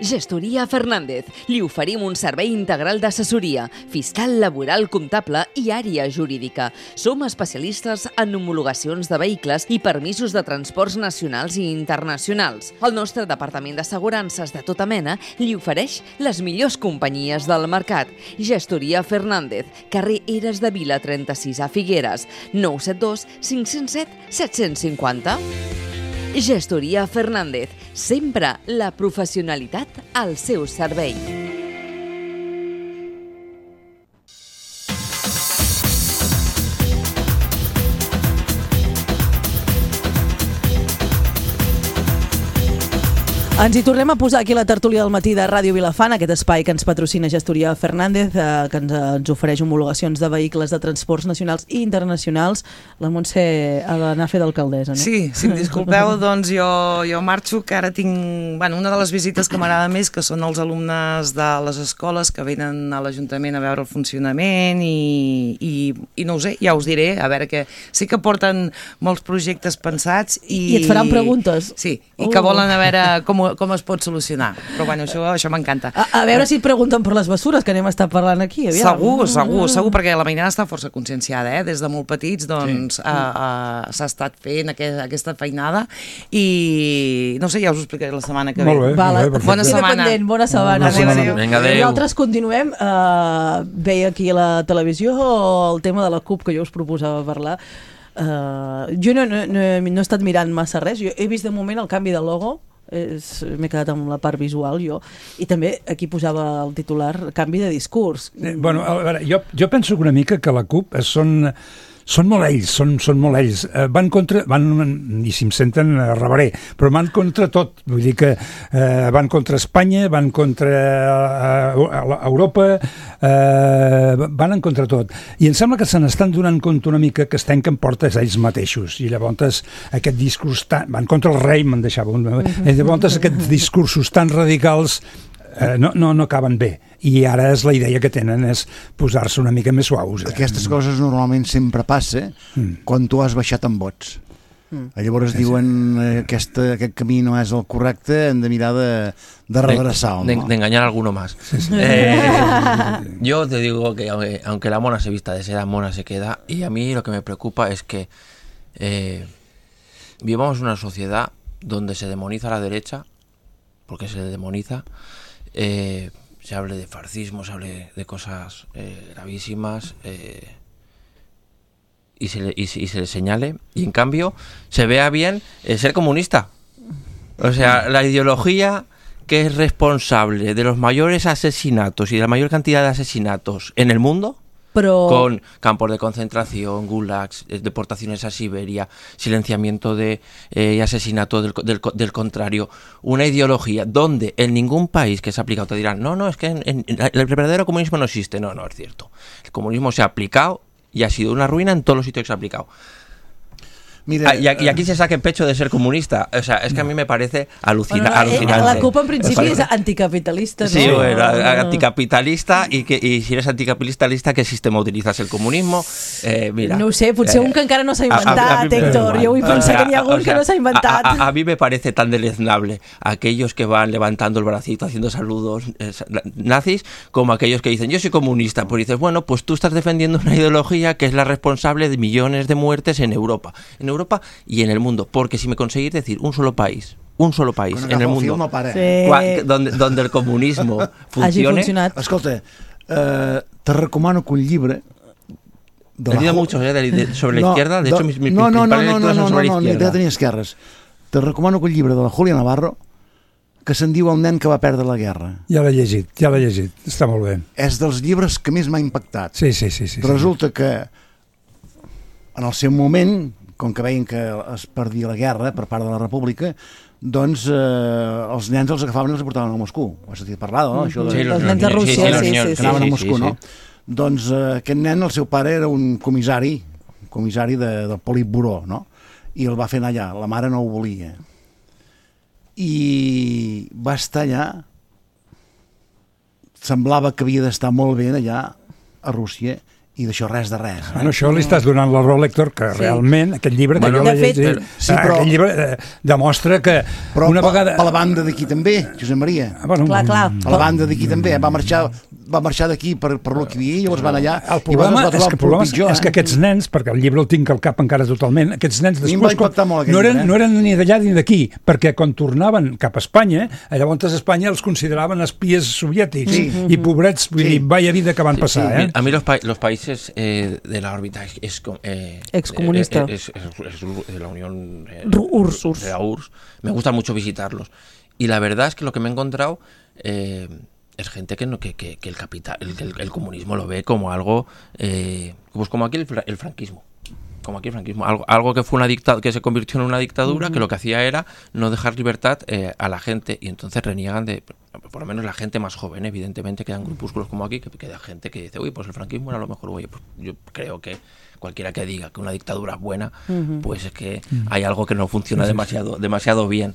Gestoria Fernández. Li oferim un servei integral d'assessoria, fiscal, laboral, comptable i àrea jurídica. Som especialistes en homologacions de vehicles i permisos de transports nacionals i internacionals. El nostre departament d'assegurances de tota mena li ofereix les millors companyies del mercat. Gestoria Fernández, carrer Eres de Vila 36 a Figueres, 972 507 750. Gestoria Fernández, sempre la professionalitat al seu servei.
Ens hi tornem a posar aquí a la tertúlia del matí de Ràdio Vilafant, aquest espai que ens patrocina Gestoria Fernández, que ens ofereix homologacions de vehicles de transports nacionals i internacionals. La Montse ha d'anar a fer d'alcaldessa, no?
Sí, si em disculpeu, doncs jo marxo, que ara tinc una de les visites que m'agrada més, que són els alumnes de les escoles que venen a l'Ajuntament a veure el funcionament i no ho sé, ja us diré, a veure que sí que porten molts projectes pensats
i et faran preguntes.
Sí, i que volen a veure com es pot solucionar. Però bueno, això m'encanta.
A veure si et pregunten per les bessures, que anem a estar parlant aquí.
Segur, perquè la Mainada està força conscienciada, des de molt petits doncs s'ha estat fent aquesta feinada i no sé, ja us ho explicaré la setmana que ve.
Molt bé,
bona setmana.
Bona setmana.
Vinga, adéu.
Nosaltres continuem. Veia aquí a la televisió el tema de la CUP, que jo us proposava parlar. Jo no he estat mirant massa res. Jo he vist de moment el canvi de logo. M'he quedat amb la part visual jo, i també aquí posava el titular canvi de discurs.
Bueno, a veure, jo penso que una mica que la CUP són molt ells, són molt ells. Van, i si em senten rebaré, però van contra tot. Vull dir que van contra Espanya, van contra Europa, van en contra tot. I em sembla que se n'estan donant compte una mica que es tanquen portes ells mateixos. I llavors aquest discurs van contra el rei, me'n deixava. I llavors aquests discursos tan radicals no acaben bé, i ara la idea que tenen és posar-se una mica més suaus.
Aquestes coses normalment sempre passa quan tu has baixat en vots. Llavors diuen aquest camí no és el correcte, hem de mirar de redreçar,
de engañar a alguno más. Yo te digo que aunque la mona se vista de seda, mona se queda, y a mí lo que me preocupa es que vivamos una sociedad donde se demoniza a la derecha, porque se le demoniza. Se hable de fascismo, se hable de cosas gravísimas y se le señale, y en cambio se vea bien ser comunista. O sea, la ideología que es responsable de los mayores asesinatos y de la mayor cantidad de asesinatos en el mundo, con campos de concentración, gulags, deportaciones a Siberia, silenciamiento y asesinato del contrario, una ideología donde en ningún país que se ha aplicado te dirán, no, es que el verdadero comunismo no existe. No es cierto. El comunismo se ha aplicado y ha sido una ruina en todos los sitios que se ha aplicado. Mira, y aquí se saca el pecho de ser comunista. O sea, es que a mí me parece alucinante.
La CUP en principi és anticapitalista, no?
Sí, bueno, anticapitalista, y si eres anticapitalista, ¿qué sistema utilizas? ¿El comunismo? Mira,
no ho sé, potser un que encara no s'ha inventat, Héctor. Jo vull pensar que n'hi ha algun que no s'ha inventat.
A mí me parece tan deleznable aquellos que van levantando el bracito, haciendo saludos nazis, como aquellos que dicen, yo soy comunista. Pues dices, bueno, pues tú estás defendiendo una ideología que es la responsable de millones de muertes en Europa y en el mundo, porque si me conseguís decir un solo país en el mundo donde el comunismo funcione.
Escolta, te recomano que un llibre
he leído mucho sobre la izquierda, de hecho mis principales lecturas son sobre la izquierda.
No tenia esquerres. Te recomano que un llibre de la Julia Navarro que se'n diu El nen que va perdre la guerra.
Ja l'he llegit, està molt bé.
És dels llibres que més m'ha impactat.
Sí.
Resulta que en el seu moment, com que veien que es perdia la guerra per part de la República, doncs els nens els agafaven i els portaven a Moscou. Ho has sentit parlar, no?
Sí, els nens de Rússia,
que anaven a Moscou, no? Doncs aquest nen, el seu pare era un comissari del Politburó, no? I el va fer anar allà, la mare no ho volia. I va estar allà, semblava que havia d'estar molt bé allà a Rússia, i d'això res de res.
Bueno, això li estàs donant la raó, Héctor, que realment aquest llibre que jo l'he llegit, aquest llibre demostra que una vegada...
Per la banda d'aquí també, Josep Maria.
Clar.
Per la banda d'aquí també, va marxar d'aquí per lo que hi havia, llavors van allà...
El problema és que aquests nens, perquè el llibre el tinc al cap encara totalment, aquests nens després no eren ni d'allà ni d'aquí, perquè quan tornaven cap a Espanya, llavors a Espanya els consideraven espies soviètics i pobrets, vull dir, vaya vida que van passar.
A mi los países de la órbita
excomunista
de la Unión
URSS.
De la URSS, me gusta mucho visitarlos. Y la verdad es que lo que me he encontrado es gente que el comunismo lo ve como algo, pues como aquí el franquismo. Como aquí el franquismo, algo que fue que se convirtió en una dictadura, que lo que hacía era no dejar libertad a la gente, y entonces reniegan por lo menos la gente más joven, evidentemente quedan grupúsculos como aquí, que queda gente que dice, uy, pues el franquismo era lo mejor. Oye, pues yo creo que cualquiera que diga que una dictadura es buena, pues es que hay algo que no funciona demasiado bien.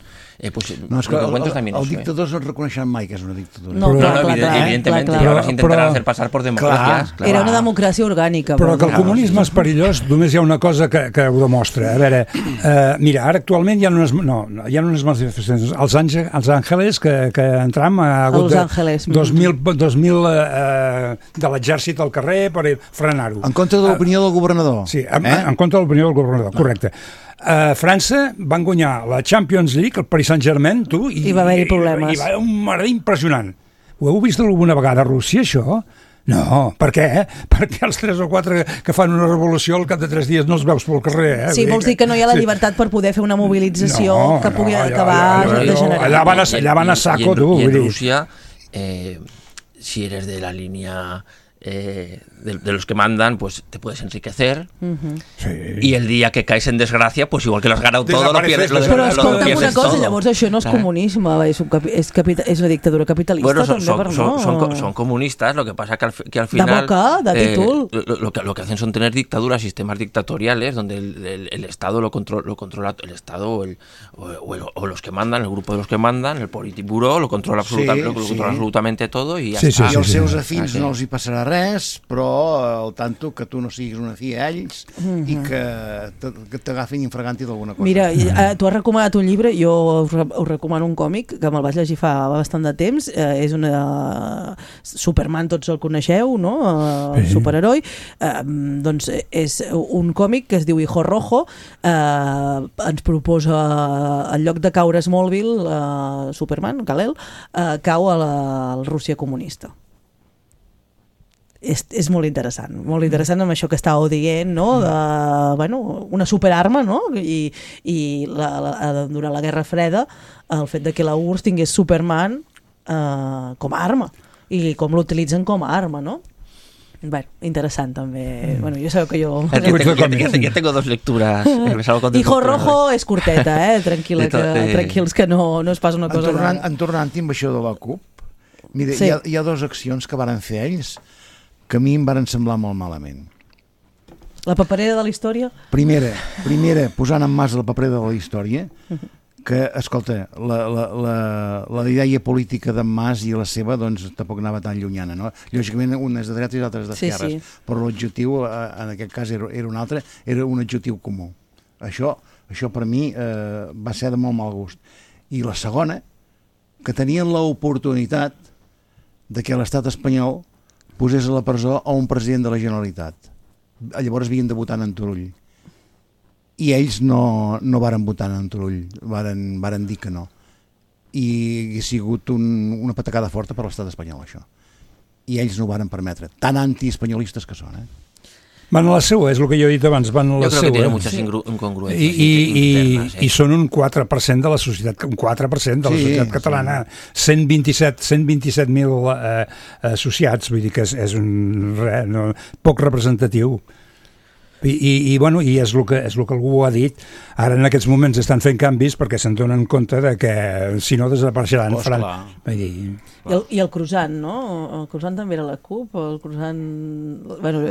Pues
no, és que
els
dictadors no reconeixen mai que és una dictadura.
No,
evidentemente, i ara s'intentaran hacer passar per democràcies.
Era una democràcia orgànica.
Però que el comunisme és perillós, només hi ha una cosa que ho demostra. A veure, mira, ara actualment hi ha unes manifestacions als Àngeles que entram ha hagut 2.000 de l'exèrcit al carrer per frenar-ho.
En contra de l'opinió del governador.
Sí, en contra de l'opinió del governador, correcte. A França van guanyar la Champions League, el Paris Saint-Germain,
i va haver-hi problemes.
I va haver un merder impressionant. Ho heu vist alguna vegada a Rússia, això? No, per què? Perquè els 3 o 4 que fan una revolució al cap de 3 dies no els veus pel carrer.
Sí, vols dir que no hi ha la llibertat per poder fer una mobilització que pugui acabar degenerant.
Allà van a saco, tu.
I en Rússia, si eres de la línia... de los que mandan, pues te puedes enriquecer, y el día que caes en desgracia, pues igual que lo has ganado todo, lo pierdes todo.
Però escolta'm una cosa, llavors això no és comunisme, és una dictadura capitalista.
Bueno, son comunistas, lo que pasa que al final...
De boca, de títol.
Lo que hacen son tener dictaduras, sistemas dictatoriales, donde el Estado lo controla el Estado o los que mandan, el grupo de los que mandan, el Politburó, lo controla absolutamente todo, y ja està.
I els seus afins no els hi passarà res, però al tanto que tu no siguis una filla a ells i que t'agafin infraganti d'alguna cosa.
Mira, tu has recomanat un llibre, jo us recomano un còmic que me'l vaig llegir fa bastant de temps, és una Superman, tots el coneixeu, no? Superheroi. Doncs és un còmic que es diu Hijo Rojo, ens proposa, en lloc de caure a Smallville, Superman, Kal-El, cau a la Rússia comunista. És molt interessant amb això que estàveu dient, no? Una superarma, no? I durant la Guerra Freda el fet de que la URSS tingués Superman com a arma i com l'utilitzen com a arma, no? Bueno, interessant també. Bueno, jo sabeu que jo...
Jo tengo 2 lecturas.
Hijo Rojo és curteta, tranquils que no és pas una cosa...
Tornant amb això de la CUP, mira, hi ha 2 accions que varen fer ells que a mi em varen semblar molt malament.
La paperera de la història?
Primera, posant en mas la paperera de la història, que, escolta, la idea política d'en Mas i la seva, doncs, tampoc anava tan llunyana, no? Lògicament, un és de dretes i l'altre és d'esquerres, però l'objectiu, en aquest cas, era un altre, era un objectiu comú. Això per mi va ser de molt mal gust. I la segona, que tenien l'oportunitat de que l'estat espanyol posés a la presó a un president de la Generalitat. Llavors havien de votar en Turull. I ells no varen votar en Turull, varen dir que no. I ha sigut una patacada forta per l'estat espanyol, això. I ells no ho varen permetre. Tan antiespanyolistes que són,
Van a la seua, és el que jo he dit abans, van a la seua.
Jo crec que tiene muchas incongruencias
internas. I són un 4% de la societat, catalana. 127.000 associats, vull dir que és poc representatiu. I és el que algú ha dit. Ara en aquests moments estan fent canvis perquè se'n donen compte de que si no desapareixeran.
I el croissant, no? El croissant també era la CUP, el croissant...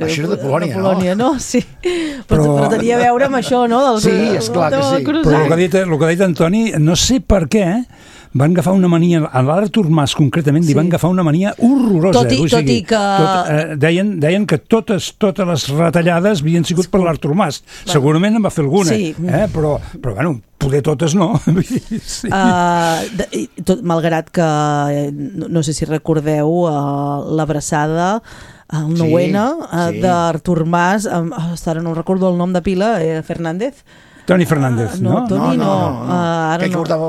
Això era de Polònia,
no? Sí, però tenia a veure amb això, no?
Sí, esclar que sí.
Però el que ha dit Antoni, no sé per què, van agafar una mania, a l'Artur Mas concretament, li van agafar una mania horrorosa.
Tot i que...
Deien que totes les retallades havien sigut per l'Artur Mas. Segurament en va fer alguna, però bueno, poder totes no.
Malgrat que, no sé si recordeu, l'abraçada el 9-N d'Artur Mas, ara no recordo el nom de pila, Fernández.
Toni Fernández, ¿no?
Toni no.
Que portava...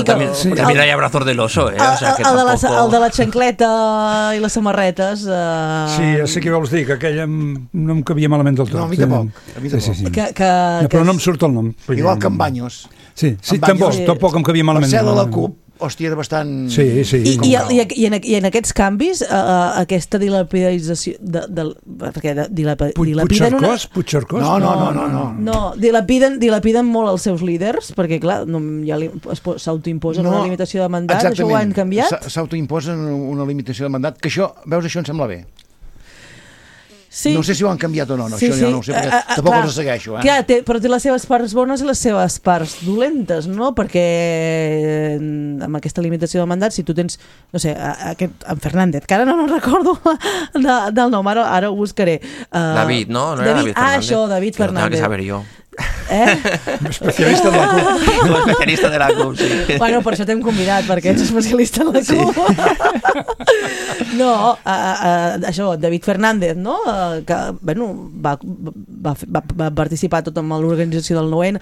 También hay abrazos del oso, ¿eh?
El de la xancleta i les samarretes.
Sí, ja sé què vols dir, que aquella no em cabia malament del tot.
No, a mi tampoc.
Però no em surt el nom.
Igual que en Banyos.
Sí, tampoc em cabia malament.
Marcel de la CUP, hòstia, era bastant...
Sí.
I en aquests canvis, aquesta dilapidització...
Puigcercós?
No.
Dilapiden molt els seus líders, perquè, clar, ja s'autoimposen una limitació de mandat, això ho han canviat?
S'autoimposen una limitació de mandat, que això, veus, això em sembla bé.
Sí.
No sé si ho han canviat o no, això ja no ho sé, perquè tampoc els segueixo.
Clar, però té les seves parts bones i les seves parts dolentes, no? Perquè amb aquesta limitació de mandat, si tu tens, no sé, en Fernández, que ara no recordo del nom, ara ho buscaré.
David, ¿no? No era David Fernández.
Això, David Fernández.
Lo tengo que saber yo.
Especialista de la CUP.
Especialista de la CUP, sí.
Bueno, per això t'hem convidat, perquè ets especialista en la CUP. No, això, David Fernández, no? Que, bueno, va participar tot amb l'organització del 9-N.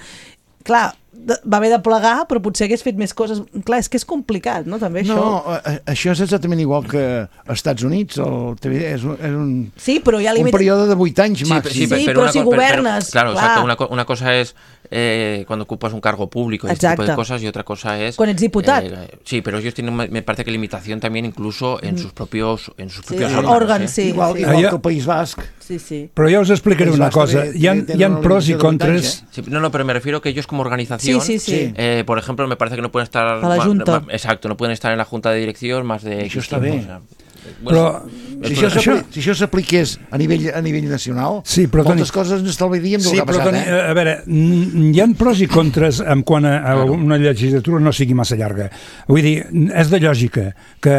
Clar, va haver de plegar, però potser hagués fet més coses. Clar, és que és complicat, no? També això.
No, això és exactament igual que als Estats Units. El TVD és un,
sí, però hi ha
un període de 8 anys màxim.
Sí, però si governes...
Claro, exacto. Una cosa es cuando ocupas un cargo público y este tipo de cosas, y otra cosa es...
Cuando eres diputado.
Sí, pero ellos tienen, me parece que limitación también incluso en sus propios
órganos. Sí,
igual que el País Basc.
Sí.
Però ja us explicaré una cosa. Hi ha pros i contres...
No, pero me refiero que ellos como organización, por ejemplo, me parece que no pueden estar...
A la Junta.
Exacto, no pueden estar en la Junta de Dirección más de...
Això està bé. Però si això s'apliqués a nivell nacional, moltes coses ens estalviaríem del que ha passat.
Toni, a veure, hi ha pros i contres en quant a una legislatura no sigui massa llarga. Vull dir, és de lògica que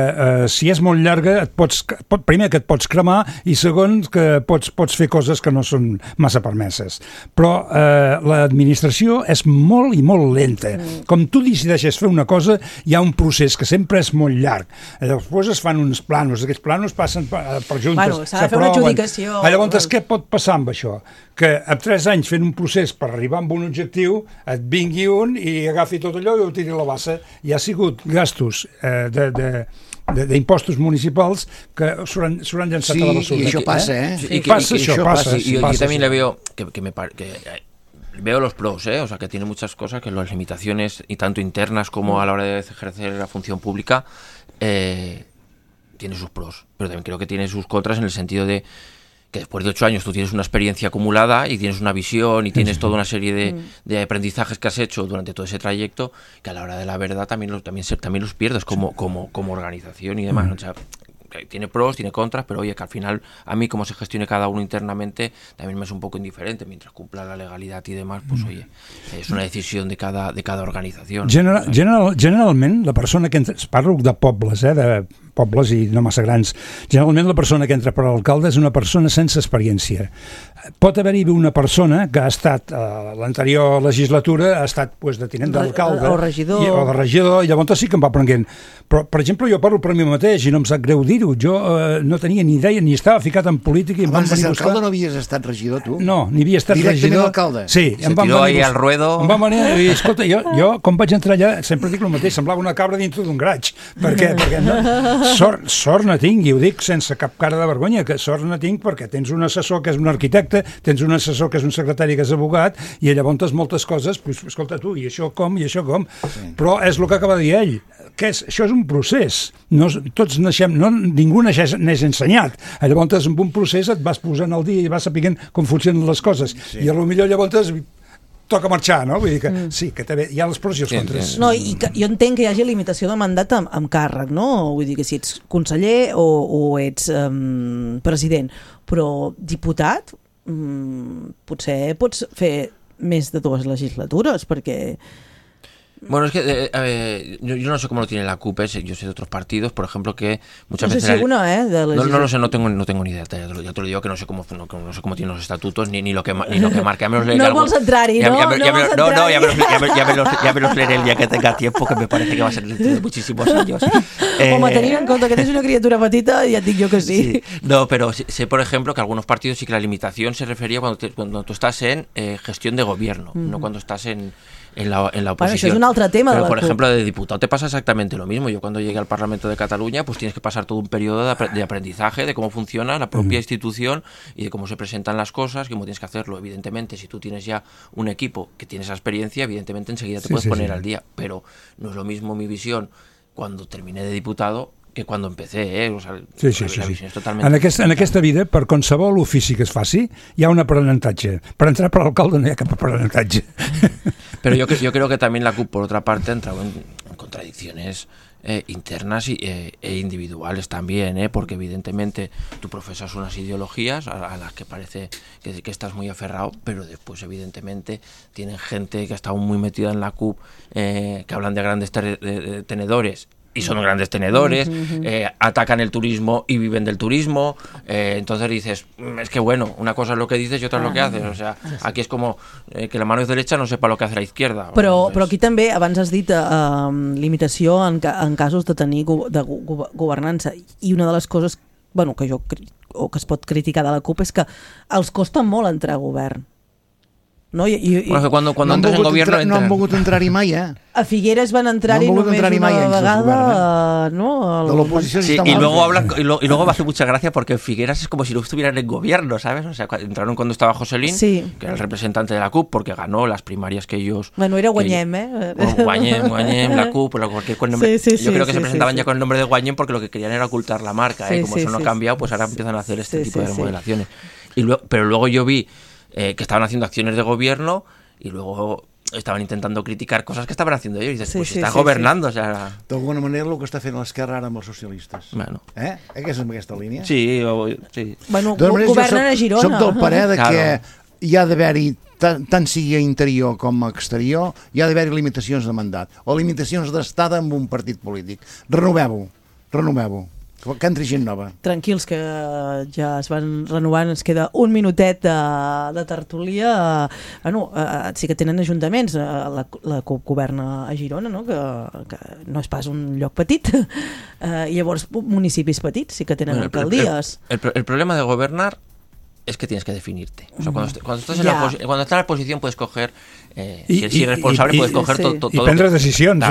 si és molt llarga, primer que et pots cremar i segon que pots fer coses que no són massa permeses. Però l'administració és molt i molt lenta. Com tu decideixes fer una cosa, hi ha un procés que sempre és molt llarg. Després es fan uns planos, aquests planos passen per juntes,
s'ha de fer una adjudicació.
Llavors, què pot passar amb això? Que en 3 anys fent un procés per arribar a un objectiu, et vingui un i agafi tot allò i ho tiri a la bassa. Hi ha sigut gastos d'impostos municipals que s'hauran llançat a la basura.
Sí, i això passa,
Passa.
Y yo también le veo que veo los pros, o sea, que tiene muchas cosas, que las limitaciones, y tanto internas como a la hora de ejercer la función pública, tiene sus pros, pero también creo que tiene sus contras en el sentido de que después de 8 años tú tienes una experiencia acumulada y tienes una visión y tienes toda una serie de aprendizajes que has hecho durante todo ese trayecto, que a la hora de la verdad también los pierdes como organización y demás. O sea, tiene pros, tiene contras, pero oye, que al final a mí como se gestione cada uno internamente también me es un poco indiferente, mientras cumpla la legalidad y demás, pues oye, es una decisión de cada organización.
Generalment, la persona que entra, parlo de pobles, de pobles i no massa grans, generalment la persona que entra per l'alcalde és una persona sense experiència. Pot haver-hi una persona que ha estat a l'anterior legislatura, ha estat de tinent d'alcalde
o regidor,
de regidor, i llavors sí que em va aprenent. Però, per exemple, jo parlo per mi mateix i no em sap greu dir-ho. Jo no tenia ni idea, ni estava ficat en política. I
abans de ser alcalde no havies estat regidor, tu?
No, ni havia estat
regidor.
Directament
alcalde?
Sí.
Se tiró ahí al ruedo.
Em van venir i, escolta, jo com vaig entrar allà, sempre dic el mateix, semblava una cabra dintre d'un graig. Perquè no... Sort no tinc, i ho dic sense cap cara de vergonya, que sort no tinc perquè tens un assessor que és un arquitecte, tens un assessor que és un secretari que és abogat, i llavors moltes coses, pues, escolta tu, i això com, sí. Però és el que acaba de dir ell, que això és un procés, tots naixem, ningú neix ensenyat, llavors amb un procés et vas posant al dia i vas sapiguent com funcionen les coses, i potser llavors toca marxar, no? Vull dir que sí, que també hi ha els pros i els contres.
No, i que jo entenc que hi hagi limitació de mandat amb càrrec, no? Vull dir que si ets conseller o ets president, però diputat potser pots fer més de 2 legislatures, perquè...
Bueno, es que yo no sé cómo lo tiene la CUP, yo sé de otros partidos, por ejemplo, que muchas veces...
No sé si uno,
No lo sé, no tengo ni idea, ya te lo digo, que no sé cómo tienen los estatutos, ni lo que marca.
No vols entrar-hi, no?
Ya me los leeré el día que tenga tiempo, que me parece que va a ser dentro de muchísimos años.
Home, tenint en compte que tens una criatura petita, ja et dic jo que sí.
No, pero sé, por ejemplo, que algunos partidos sí que la limitación se refería cuando tú estás en gestión de gobierno, no cuando estás en la oposición.
Bueno, això és un altre tema.
Pero, por ejemplo, de diputado te pasa exactamente lo mismo. Yo cuando llegué al Parlamento de Cataluña, pues tienes que pasar todo un periodo de aprendizaje de cómo funciona la propia institución y de cómo se presentan las cosas, cómo tienes que hacerlo. Evidentemente, si tú tienes ya un equipo que tiene esa experiencia, evidentemente enseguida te puedes poner al día. Pero no es lo mismo mi visión cuando terminé de diputado que quan empecé, o sea, la visió és totalment...
En aquesta vida, per qualsevol ofici que es faci, hi ha un aprenentatge. Per entrar per l'alcalde no hi ha cap aprenentatge.
Pero yo creo que también la CUP, por otra parte, ha entrado en contradicciones internas e individuales también, porque evidentemente tú profesas unas ideologías a las que parece que estás muy aferrado, pero después evidentemente tienen gente que ha estado muy metida en la CUP, que hablan de grandes tenedores, y son grandes tenedores, atacan el turismo y viven del turismo, entonces dices, es que bueno, una cosa es lo que dices y otra es lo que haces, o sea, aquí es como que la mano derecha no sepa lo que hace la izquierda.
Però aquí també, abans has dit limitació en casos de tenir governança, i una de les coses que es pot criticar de la CUP és que els costa molt entrar a govern. No?
Cuando entras en gobierno
no han volgut entrar-hi mai,
A Figueres van entrar-hi només una vegada, ¿no?
De l'oposició
sí, y luego me hace mucha gracia porque en Figueras es como si no estuvieran en gobierno, ¿sabes? O sea, entraron cuando estaba Joselín, que era el representante de la CUP, porque ganó las primarias que ellos...
Bueno, era Guanyem,
Guanyem, la CUP, cualquier nombre. Yo creo que se presentaban ya con el nombre de Guanyem porque lo que querían era ocultar la marca, como eso no ha cambiado, pues ahora empiezan a hacer este tipo de remodelaciones. Pero luego yo vi que estaban haciendo acciones de gobierno y luego estaven intentant criticar coses que estaven haciendo ellos. I dices, pues està governando. O sea...
D'alguna manera el que està fent l'esquerra ara amb els socialistes.
Bueno.
Que és en aquesta línia?
Sí.
Bueno, governen a Girona.
Soc del parer que hi ha d'haver-hi, tant sigui a interior com a exterior, hi ha d'haver-hi limitacions de mandat o limitacions d'estada amb un partit polític. Renoveu-ho. Que entri gent nova.
Tranquils, que ja es van renovant, ens queda un minutet de tertúlia. Sí que tenen ajuntaments, la CUP governa a Girona, no? Que no és pas un lloc petit, i llavors municipis petits sí que tenen alcaldies.
El problema de gobernar es que tienes que definirte. O sea, cuando estás en la oposición puedes coger, si eres responsable puedes coger todo.
Y prendre decisions.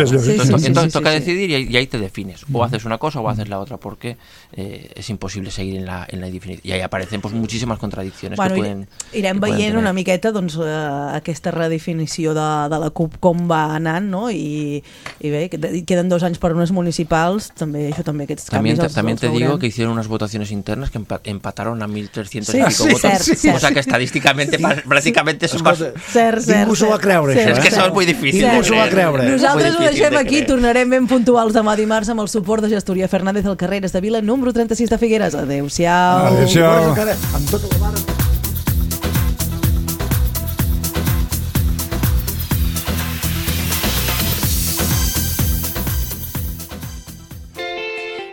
Entonces toca decidir y ahí te defines. O haces una cosa o haces la otra, porque es imposible seguir en la definición. Y ahí aparecen pues muchísimas contradicciones que pueden...
Irem veient una miqueta doncs, aquesta redefinició de la CUP com va anant, no? I bé, queden 2 anys per unes municipals, també aquests canvis
También te digo que hicieron unas votaciones internas que empataron a 1.300 y pico votos, o sea que estadísticamente prácticamente son más...
Ningú s'ho va creure, això.
És que això és molt difícil.
Ningú s'ho va creure.
Nosaltres ho deixem aquí, tornarem ben puntuals demà dimarts amb el suport de Gestoria Fernández al carrer de Vila, número 36 de Figueres. Adéu-siau.
Adéu-siau.
Amb tota la mare...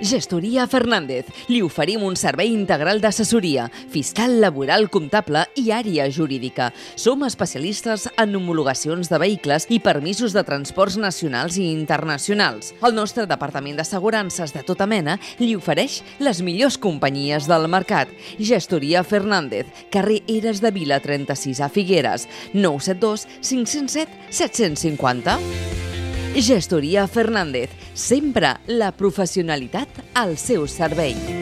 Gestoria Fernández. Li oferim un servei integral d'assessoria, fiscal, laboral, comptable i àrea jurídica. Som especialistes en homologacions de vehicles i permisos de transports nacionals i internacionals. El nostre departament d'assegurances de tota mena li ofereix les millors companyies del mercat. Gestoria Fernández, carrer Eres de Vila 36 a Figueres, 972 507 750. Gestoria Fernández, sempre la professionalitat al seu servei.